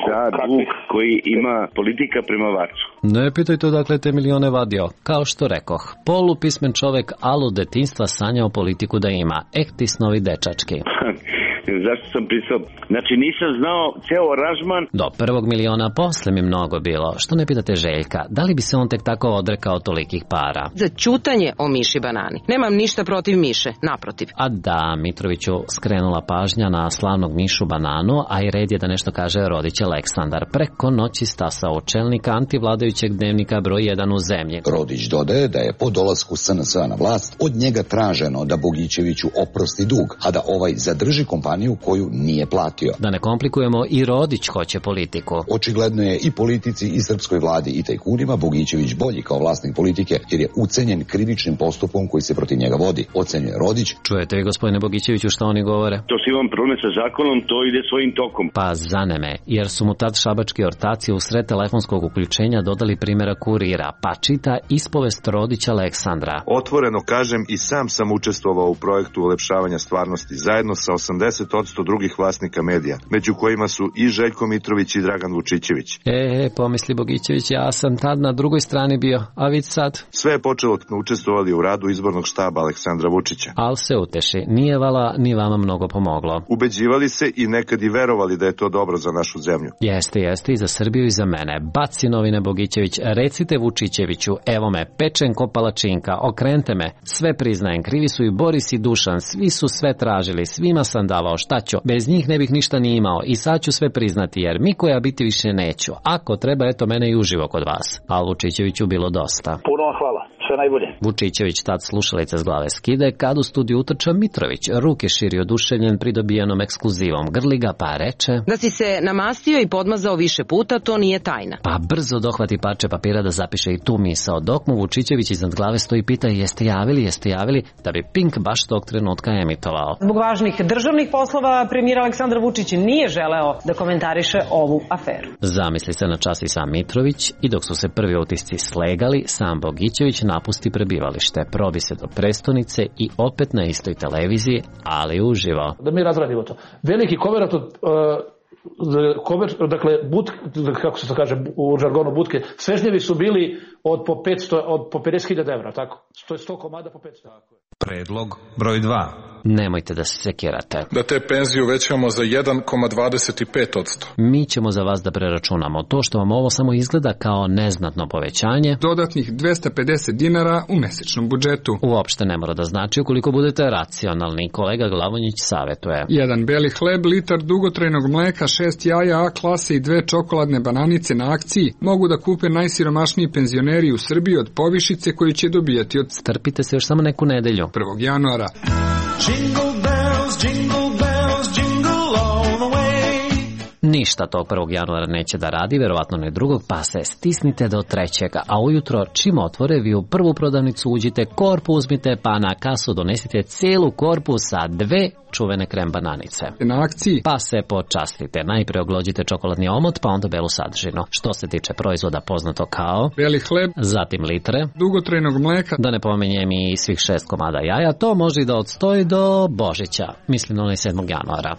za dug koji ima politika prema Vacu. Ne pitajte odakle te milione vadio. Kao što rekoh, polupismen čovek, alu detinjstva sanjao politiku da ima. Ekti snovi dečački. Zašto sam pristao? Znači nisam znao ceo aranžman. Do prvog miliona posle mi mnogo bilo. Što ne pitate Željka, da li bi se on tek tako odrekao tolikih para? Za ćutanje o Miši Banani. Nemam ništa protiv Miše, naprotiv. A da, Mitroviću skrenula pažnja na slavnog Mišu Bananu, a i red je da nešto kaže Rodić Aleksandar. Preko noći stasao čelnika antivladajućeg dnevnika broj jedan u zemlji. Rodić dodaje da je po dolasku es en es a na vlast od njega traženo da Bogićeviću oprosti dug, a da ovaj zadrži kompaniju kompaniju koju nije platio. Da ne komplikujemo, i Rodić hoće politiku. Očigledno je i politici i srpskoj vladi i tajkunima Bogićević bolji kao vlasnik politike, jer je ucenjen krivičnim postupkom koji se protiv njega vodi, ocenjuje Rodić. Čujete vi, gospodine Bogićeviću, šta oni govore? To svi vam problem sa zakonom, to ide svojim tokom. Pa zaneme, jer su mu tad šabački ortaci usred telefonskog uključenja dodali primjera Kurira, pa čita ispovest Rodića Aleksandra. Otvoreno kažem, i sam sam učestvovao u projektu ulepšavanja stvarnosti, zajedno sa osamdeset posto drugih vlasnika medija, među kojima su i Željko Mitrović i Dragan Vučićević. E, pomisli Bogićević, ja sam tad na drugoj strani bio, a vid sad? Sve je počelo od smo učestvovali u radu izbornog štaba Aleksandra Vučića. Al se uteši, nije vala ni vama mnogo pomoglo. Ubeđivali se i nekad i verovali da je to dobro za našu zemlju. Jeste, jeste, i za Srbiju i za mene. Baci novine Bogićević, recite Vučićeviću, evo me, pečen ko palačinka, okrente me, sve priznajem, krivi su i Boris i Dušan, svi su sve tražili, svima sam davao, šta ću, bez njih ne bih ništa ni imao i sad ću sve priznati, jer Miko ja biti više neću. Ako treba, eto mene i uživo kod vas. Al Vučićeviću bilo dosta. Puno hvala. Sve najbolje. Vučićević tad slušalice s glave skide, kad u studiju utrča Mitrović, ruke širi oduševljen pridobijenom ekskluzivom, grli ga pa reče: Da si se namastio i podmazao više puta, to nije tajna. Pa brzo dohvati parče papira da zapiše i tu misao, dok mu Vučićević iznad glave stoji i pita: jeste javili, jeste javili, da bi Pink baš tog trenutka emitovao. Zbog važnih državnih poslova premijer Aleksandar Vučić nije želeo da komentariše ovu aferu. Zamisli se na čas i sam Mitrović, i dok su se prvi utisci slegali, sam Bogićević napusti prebivalište, probi se do prestonice i opet na istoj televiziji, ali uživo. Da mi razradimo to. Veliki koverat od... Uh... Kover, dakle, but, kako se to kaže u žargonu butke, svežnjevi su bili od po petsto, od po pedeset hiljada evra, tako? To je sto komada po petsto. Predlog broj dva. Nemojte da se sekirate. Da te penzije uvećamo za jedan zarez dvadeset pet posto. Mi ćemo za vas da preračunamo to što vam ovo samo izgleda kao neznatno povećanje. Dodatnih dvesta pedeset dinara u mesečnom budžetu. Uopšte ne mora da znači ukoliko budete racionalni, kolega Glavonjić savetuje. Jedan beli hleb, litar dugotrajnog mleka, šest jaja A klase i dve čokoladne bananice na akciji mogu da kupe najsiromašniji penzioneri u Srbiji od povišice koju će dobijati od... Strpite se još samo neku nedelju. prvog januara. Jingle bells, jingle bells, jingle all the way. Ništa tog prvog januara neće da radi, verovatno ne drugog, pa se stisnite do trećega, a ujutro čim otvore vi u prvu prodavnicu uđite, korpu uzmite, pa na kasu donesite celu korpu sa dve čuvene krem bananice. Na akciji pa se počastite. Najpre oglođite čokoladni omot, pa onda belu sadržinu. Što se tiče proizvoda poznato kao beli hleb, zatim litre dugotrajnog mleka, da ne pomenjem i svih šest komada jaja, to može i da odstoji do Božića, mislim na onaj sedmog januara.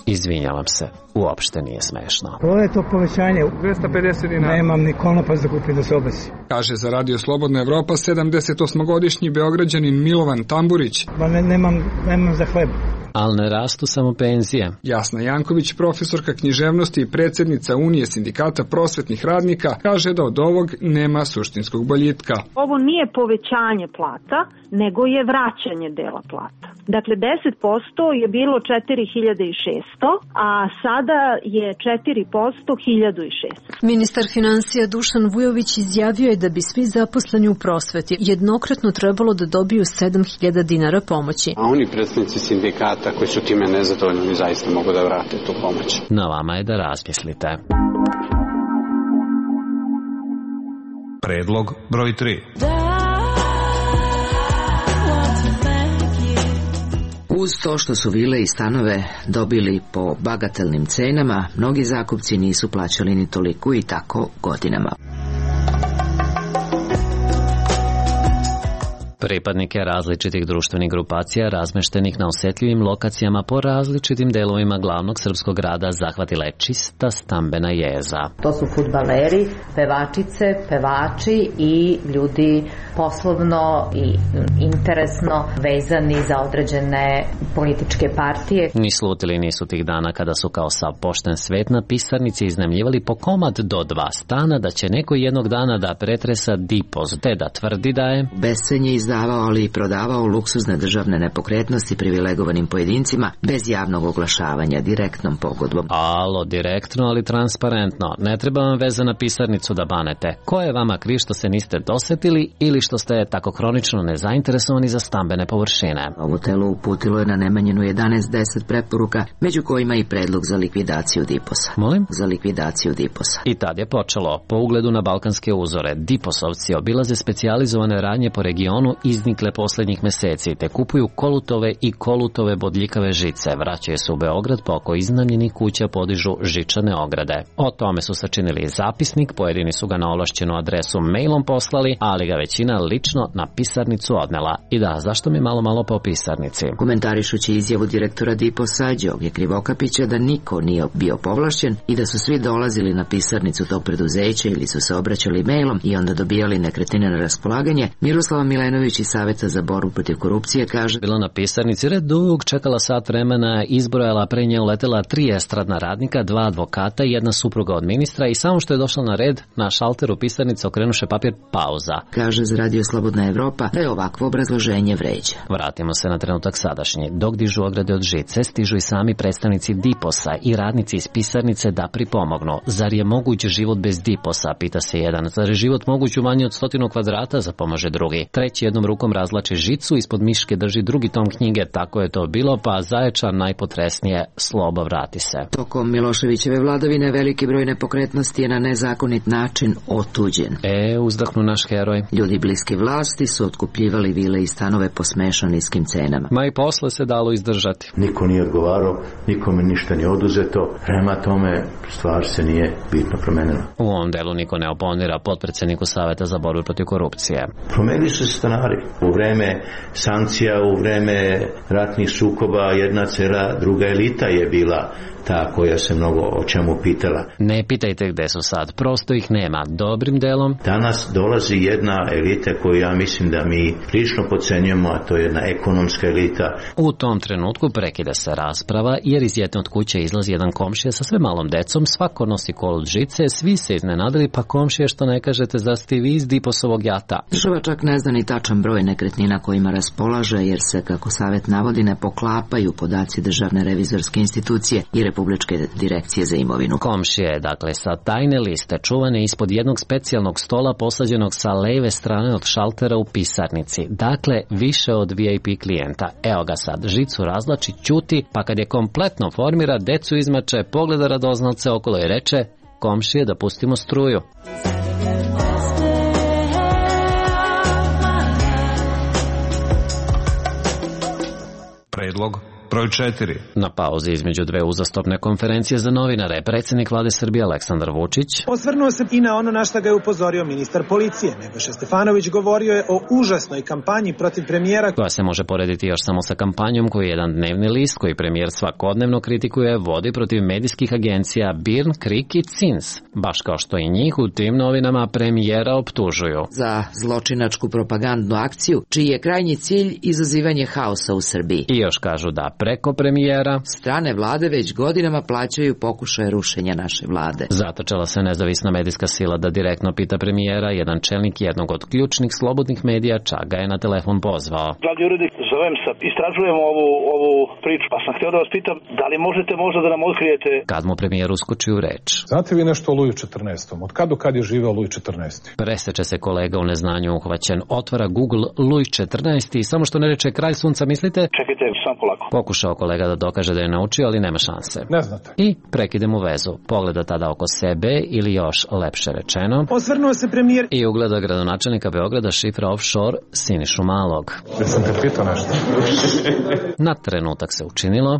Izvinjavam se, uopšte nije smešno. To je to povećanje. dvesta pedeset dinara. Nemam ni konopac da kupim da se obesi. Kaže za Radio Slobodna Evropa sedamdesetosmogodišnji Beograđanin Milovan Tamburić. Ma ne, nemam, nemam za hleb. Ali ne rastu samo penzije. Jasna Janković, profesorka književnosti i predsjednica Unije sindikata prosvetnih radnika, kaže da od ovog nema suštinskog boljitka. Ovo nije povećanje plata, nego je vraćanje dela plata. Dakle, deset posto je bilo četiri hiljade šesto, a sada je četiri posto hiljadu šesto. Ministar finansija Dušan Vujović izjavio je da bi svi zaposleni u prosveti jednokratno trebalo da dobiju sedam hiljada dinara pomoći. A oni predstavnici sindikata koji su time nezadovoljni, oni zaista mogu da vrate tu pomoć. Na vama je da razmislite. Predlog broj tri. Uz to što su vile i stanove dobili po bagatelnim cenama, mnogi zakupci nisu plaćali ni toliko i tako godinama. Pripadnike različitih društvenih grupacija razmeštenih na osetljivim lokacijama po različitim delovima glavnog srpskog grada zahvatila je čista stambena jeza. To su fudbaleri, pevačice, pevači i ljudi poslovno i interesno vezani za određene političke partije. Ni slutili nisu tih dana kada su kao sav pošten svet na pisarnici iznajmljivali po komad do dva stana da će neko jednog dana da pretresa dipoz, te da tvrdi da je bescenje izda oporezavao, ali i prodavao luksuzne državne nepokretnosti privilegovanim pojedincima bez javnog oglašavanja, direktnom pogodbom. Alo, direktno, ali transparentno. Ne treba vam veze na pisarnicu da banete. Ko je vama kriv što se niste dosetili ili što ste tako hronično nezainteresovani za stambene površine? Ovo telo uputilo je na Nemanjinu jedanaest deset preporuka, među kojima i predlog za likvidaciju Diposa. Molim? Za likvidaciju Diposa. I tad je počelo. Po ugledu na balkanske uzore, Diposovci obilaze specijalizovane radnje po regionu iznikle poslednjih meseci, te kupuju kolutove i kolutove bodljikave žice. Vraćaju se u Beograd, pa oko iznajmljenih kuća podižu žičane ograde. O tome su sačinili zapisnik, pojedini su ga na ovlašćenu adresu mailom poslali, ali ga većina lično na pisarnicu odnela. I da, zašto mi malo malo po pisarnici? Komentarišući izjavu direktora Diposa, Đoge Krivokapića, da niko nije bio povlašćen i da su svi dolazili na pisarnicu tog preduzeća ili su se obraćali mailom i onda dobijali nekretnine na raspolaganje, Miroslava Milenović iz Saveta za borbu protiv korupcije kaže: bila na pisarnici red dug, čekala sat vremena, izbrojala, pre nje uletela tri estradna radnika, dva advokata i jedna supruga od ministra i samo što je došla na red, na šalteru pisarnice okrenuše papir pauza. Kaže za Radio Slobodna Evropa da je ovakvo obrazloženje vređa. Vratimo se na trenutak sadašnji. Dok dižu ograde od žice, stižu i sami predstavnici Diposa i radnici iz pisarnice da pripomognu. Zar je moguć život bez Diposa, pita se jedan. Zar je život moguć u manje od stotinu kvadrata, zapomaže drugi. Treći jednom rukom razlači žicu, ispod miške drži drugi tom knjige, tako je to bilo, pa Zaječar najpotresnije, sloba vrati se. Tokom Miloševićeve vladavine veliki broj nepokretnosti je na nezakonit način otuđen. E, uzdahnu naš heroj. Ljudi bliski vlasti su otkupljivali vile i stanove po smešno niskim cenama. Ma i posle se dalo izdržati. Niko nije odgovarao, nikome ništa nije oduzeto, prema tome stvar se nije bitno promenila. U ovom delu niko ne oponira potpredsjedniku Saveta za borbu protiv korupcije. Promenili su se stanari. U vreme sankcija, u vreme ratnih sukoba, jedna cela druga elita je bila ta koja se mnogo o čemu pitala. Ne pitajte gde su sad, prosto ih nema. Dobrim delom. Danas dolazi jedna elita koju ja mislim da mi prilično podcenjujemo, a to je jedna ekonomska elita. U tom trenutku prekida se rasprava, jer iz jedne od kuće izlazi jedan komšija sa sve malom decom, svako nosi kolut žice, svi se iznenadili, pa komšije što ne kažete, zar ste vi iz Diposovog jata? Država čak ne zna ni tačan broj nekretnina kojima raspolaže, jer se, kako Savet navodi, ne poklapaju podaci Državne revizorske institucije i Republičke direkcije za imovinu. Komšije je, dakle, sa tajne liste čuvane ispod jednog specijalnog stola posađenog sa leve strane od šaltera u pisarnici. Dakle, više od V I P klijenta. Evo ga sad, žicu razlači, ćuti, pa kad je kompletno formira, decu izmače, pogleda radoznalce okolo i reče: komšije, da pustimo struju. Predlog broj četiri. Na pauzi između dve uzastopne konferencije za novinare, predsjednik vlade Srbije Aleksandar Vučić osvrnuo se i na ono na šta ga je upozorio ministar policije. Nebojša Stefanović govorio je o užasnoj kampanji protiv premijera, koja se može porediti još samo sa kampanjom koju jedan dnevni list, koji premijer svakodnevno kritikuje, vodi protiv medijskih agencija Birn, Krik i Cins, baš kao što i njih u tim novinama premijera optužuju za zločinačku propagandnu akciju, čiji je krajnji cilj izazivanje haosa u Srbiji. I još kažu da preko premijera strane vlade već godinama plaćaju pokušaje rušenja naše vlade. Zatočela se nezavisna medijska sila da direktno pita premijera. Jedan čelnik jednog od ključnih slobodnih medija čak ga je na telefon pozvao. Glavni urednik, zovem se, istražujemo ovu, ovu priču, pa sam htio da vas pitam, da li možete možda da nam otkrijete... Kad mu premijer uskoči u reč. Znate vi nešto o Luju četrnaestom? Od kad do kad je živeo Luj četrnaesti? Preseče se kolega u neznanju uhvaćen. Otvara Google Luj četrnaesti i samo što ne reče kralj sunca, mislite? Čekajte, sam polako. Pokušao kolega da dokaže da je naučio, ali nema šanse. Ne znate. I prekide mu vezu. Pogleda tada oko sebe, ili još lepše rečeno, osvrnuo se premijer i ugleda gradonačelnika Beograda šifra offshore Sinišu Malog. Ja sam te pitao nešto. Na trenutak se učinilo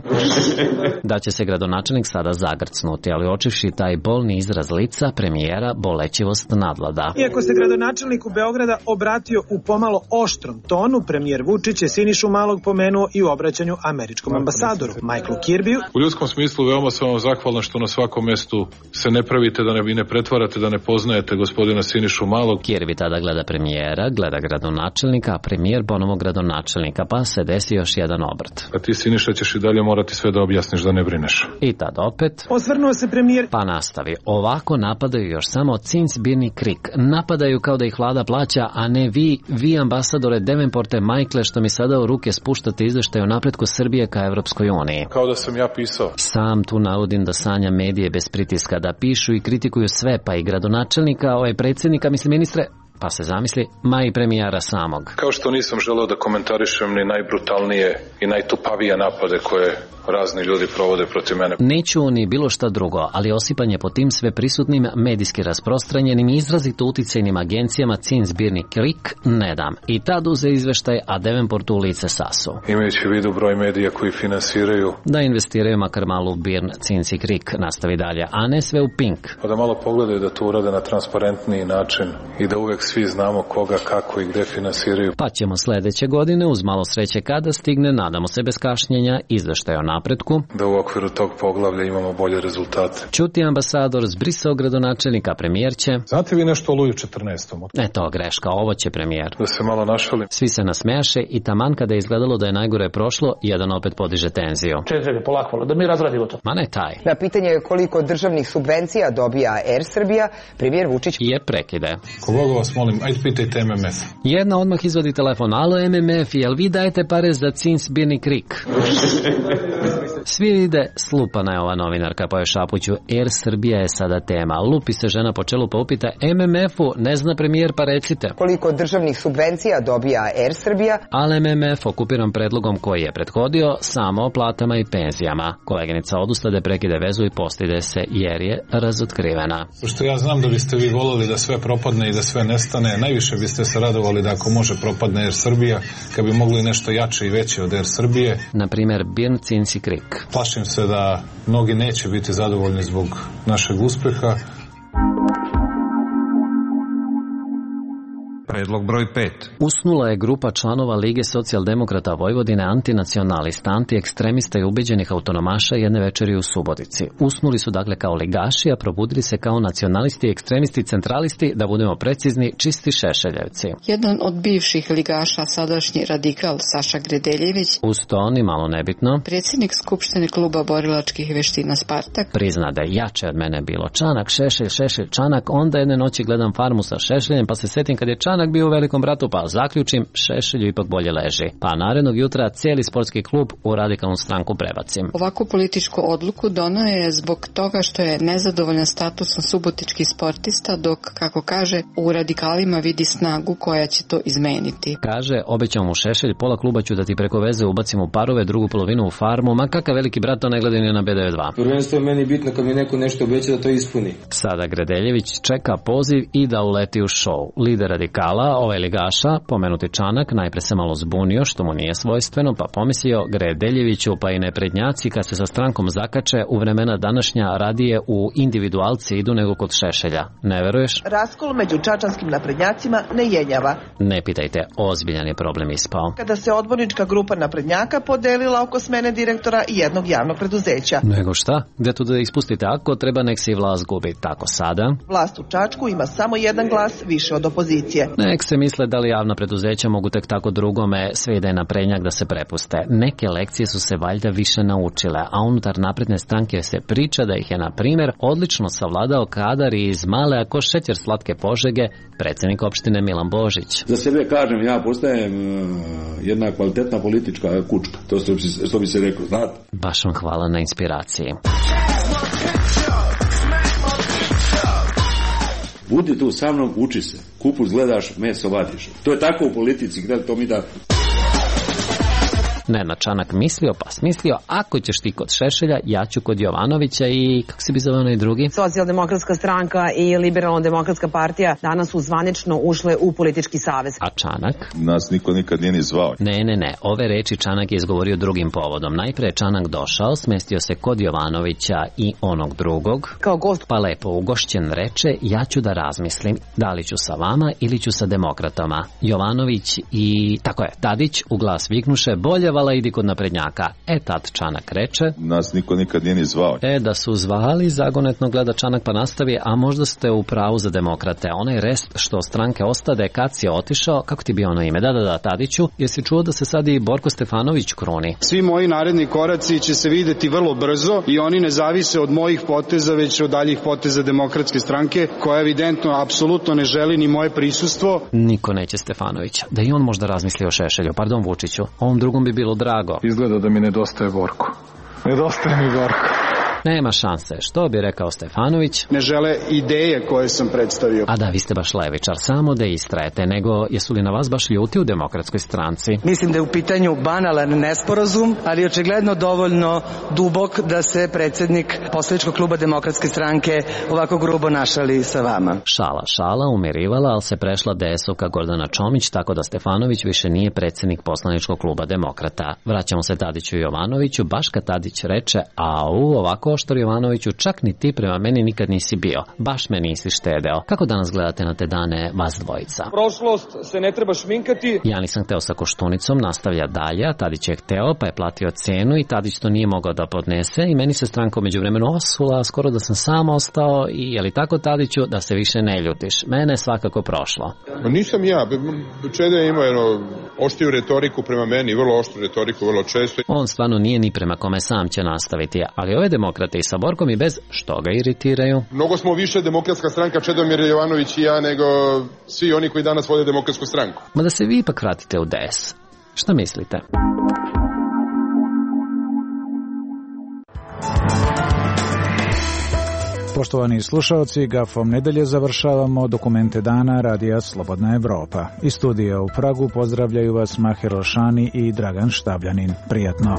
da će se gradonačelnik sada zagrcnuti, ali očivši taj bolni izraz lica premijera, bolećivost nadvlada. Iako se gradonačelniku Beograda obratio u pomalo oštrom tonu, premijer Vučić je Sinišu Malog pomenuo i u obraćanju američkom američkom ambasadoru Michaelu Kirbiju. U ljudskom smislu veoma sam vam zahvalan što na svakom mestu se ne pravite, da ne, i ne pretvarate, da ne poznajete gospodina Sinišu Malog. Kirby tada gleda premijera, gleda gradonačelnika, a premijer ponovo gradonačelnika, pa se desi još jedan obrt. A ti, Siniša, ćeš i dalje morati sve da objasniš, da ne brineš. I tad opet... Osvrnuo se premijer... Pa nastavi. Ovako napadaju još samo Cinsbirni Krik. Napadaju kao da ih vlada plaća, a ne vi, vi ambasadore Devenporte Michael, što mi sada u ruke spuštate izveštaj o napretku Srbije ka Evropskoj uniji. Kao da sam ja pisao. Sam tu navodim da sanja medije bez pritiska, da pišu i kritikuju sve, pa i gradonačelnika, ovaj predsjednika, mislim ministre, pa se zamisli, ma i premijera samog. Kao što nisam želeo da komentarišem ni najbrutalnije i najtupavije napade koje razni ljudi provode protiv mene. Neću ni bilo šta drugo, ali osipanje po tim sve prisutnim, medijski rasprostranjenim i izrazito uticajnim agencijama Cinsbirni Krik ne dam. I tad uze izveštaj, a Devenport u lice sasu. Imajući u vidu broj medija koji finansiraju, da investiraju makar malo u Birn, Cinci Krik, nastavi dalje, a ne sve u Pink. Pa da malo pogledaju da to urade na transparentniji način i da uvek svi znamo koga, kako i gde finansiraju. Pa ćemo sledeće godine, uz malo sreće kada stigne, nadamo se bez kašnjenja, izveštaj o napretku, da u okviru tog poglavlja imamo bolje rezultate. Čuti ambasador, zbrisao gradonačelnika, premijer će... Znate vi nešto o Luju četrnaestom? Eto, greška, ovo će premijer. Da se malo našalim. Svi se nasmejaše i taman kada je izgledalo da je najgore prošlo, jedan opet podiže tenziju. Čekaj, polako, da mi razradimo to. Ma ne taj. Na pitanje koliko državnih subvencija dobija Air Srbija, premijer Vučić je prekide. Koga vas molim, ajde pitajte M M F. Jedna odmah izvadi telefon. Alo M M F, jel vi dajete pare za Cinsbirni Krik? Svi vide, slupana je ova novinarka, pa je šapuću, Air Srbija je sada tema. Lupi se žena po čelu pa upita, M M F-u ne zna premijer, pa recite. Koliko državnih subvencija dobija Air Srbija? Ali M M F okupiran predlogom koji je prethodio samo o platama i penzijama. Koleginica odustade, prekide vezu i postide se jer je razotkrivena. Pošto ja znam da biste vi volili da sve propadne i da sve nestane, najviše biste se radovali da ako može propadne Air Srbija, kad bi mogli nešto jače i veće od Air Srbije. Na primjer, Birn, Cinci Krik. Plašim se da mnogi neće biti zadovoljni zbog našeg uspeha. Predlog broj pet. Usnula je grupa članova Lige socijaldemokrata Vojvodine, antinacionalista, antiekstremista i ubeđenih autonomaša jedne večeri u Subotici. Usnuli su dakle kao ligaši, a probudili se kao nacionalisti, ekstremisti, centralisti, da budemo precizni, čisti šešeljevci. Jedan od bivših ligaša, sadašnji radikal Saša Gredeljević, uz to ni malo nebitno, predsjednik Skupštine kluba borilačkih veština Spartak, prizna da je jače od mene bilo Čanak, Šešelj, Šešelj, Čanak, onda jedne noći gledam Farmu sa Šešeljem, pa se setim kad je Čanak bio u Velikom bratu, pa zaključim, Šešelju ipak bolje leži. Pa narednog jutra cijeli sportski klub u radikalnu stranku prebacim. Ovakvu političku odluku donao je zbog toga što je nezadovoljan statusom subotičkih sportista, dok, kako kaže, u radikalima vidi snagu koja će to izmeniti. Kaže, obećao mu Šešelj, pola kluba ću da ti preko veze ubacim u parove, drugu polovinu u Farmu, ma kakav Veliki brat, to ne gledaj ni na B D dva. Prvenstvo je meni bitno kad mi neko nešto obeća da to ispuni. Sada Gredeljević čeka poziv i da uleti u šou. Lider radikala, ovaj ligaša, pomenuti Čanak, najpre se malo zbunio, što mu nije svojstveno, pa pomislio Gredeljeviću, pa i neprednjaci kad se sa strankom zakače u vremena današnja radije u individualci idu nego kod Šešelja. Ne veruješ? Raskol među čačanskim naprednjacima ne jenjava. Ne pitajte, ozbiljan je problem ispao. Kada se odbornička grupa naprednjaka podelila oko smene direktora i jednog javnog preduzeća. Nego šta? Gde tu da ispustite ako treba, nek se i vlast gubi. Tako sada? Vlast u Čačku ima samo jedan glas više od opozicije. Nek se misle da li javna preduzeća mogu tek tako drugome sve ide na prednjak da se prepuste. Neke lekcije su se valjda više naučile, a unutar napredne stranke se priča da ih je, na primjer, odlično savladao kadar iz male ako šećer slatke Požege, predsjednik opštine Milan Božić. Za sebe kažem, ja postajem uh, jedna kvalitetna politička kučka, to što bi se reklo, znate. Baš vam hvala na inspiraciji. Budi tu sa mnom, uči se. Kupus gledaš, meso vadiš. To je tako u politici, gledaj, to mi da... Nenad Čanak mislio pa smislio, ako ćeš ti kod Šešelja, ja ću kod Jovanovića i kako se bi zove onaj drugi? Socijaldemokratska stranka i Liberalno-demokratska partija danas su zvanično ušle u politički savez. A Čanak? Nas niko nikad nije ni zvao. Ne, ne, ne, ove reči Čanak je izgovorio drugim povodom. Najpre je Čanak došao, smestio se kod Jovanovića i onog drugog. Kao gost. Pa lepo ugošćen reče, ja ću da razmislim, da li ću sa vama ili ću sa demokratama. Jovanović i, tako je, Tadić u glas viknuše, bolje umirivala, idi kod naprednjaka. E tad Čanak reče... Nas niko nikad nije ni zvao. E, da su zvali, zagonetno gleda Čanak pa nastavi, a možda ste u pravu za demokrate. Onaj rest što stranke ostade, kad si otišao, kako ti bi ono ime? Da, da, da, Tadiću, jesi čuo da se sad i Borko Stefanović kruni? Svi moji naredni koraci će se videti vrlo brzo i oni ne zavise od mojih poteza, već od daljih poteza Demokratske stranke, koja evidentno apsolutno ne želi ni moje prisustvo. Niko neće Stefanovića. Da i on možda razmisli o Šešelju. Pardon Vučiću, ovom drugom bi bilo drago. Izgleda da mi nedostaje Borko. Nedostaje mi Borko. Nema šanse, što bi rekao Stefanović. Ne žele ideje koje sam predstavio. A da, vi ste baš levičar, samo da istrajete, nego jesu li na vas baš ljuti u Demokratskoj stranci? Mislim da je u pitanju banalan nesporazum, ali očigledno dovoljno dubok da se predsjednik poslaničkog kluba Demokratske stranke ovako grubo našali sa vama. Šala, šala, umirivala, ali se prešla de esovka Gordana Čomić, tako da Stefanović više nije predsjednik poslaničkog kluba Demokrata. Vraćamo se Tadiću i Jovanoviću, baš kad Tadić reče, au, ovako oštor Jovanoviću, čak ni ti prema meni nikad nisi bio. Baš me nisi štedeo. Kako danas gledate na te dane vas dvojica? Prošlost se ne treba šminkati. Ja nisam hteo sa Koštunicom, nastavlja dalje, a Tadić je hteo, pa je platio cenu i Tadić to nije mogao da podnese i meni se stranka međuvremenu osula, skoro da sam sam ostao i je li tako Tadiću, da se više ne ljutiš? Mene je svakako prošlo. Nisam ja. Čeda je imao jedno oštriju retoriku prema meni, vrlo oštru retoriku, vrlo često. On stvarno nije ni prema kome sam će nastaviti, ali ove demokrate i sa Borkom i bez što ga iritiraju. Mnogo smo više Demokratska stranka, Čedomir Jovanović i ja, nego svi oni koji danas vode Demokratsku stranku. Ma da se vi ipak vratite u D S. Šta mislite? Poštovani slušalci, gafom nedelje završavamo dokumente dana Radija Slobodna Evropa. Iz studija u Pragu pozdravljaju vas Maher Olšani i Dragan Štabljanin. Prijatno.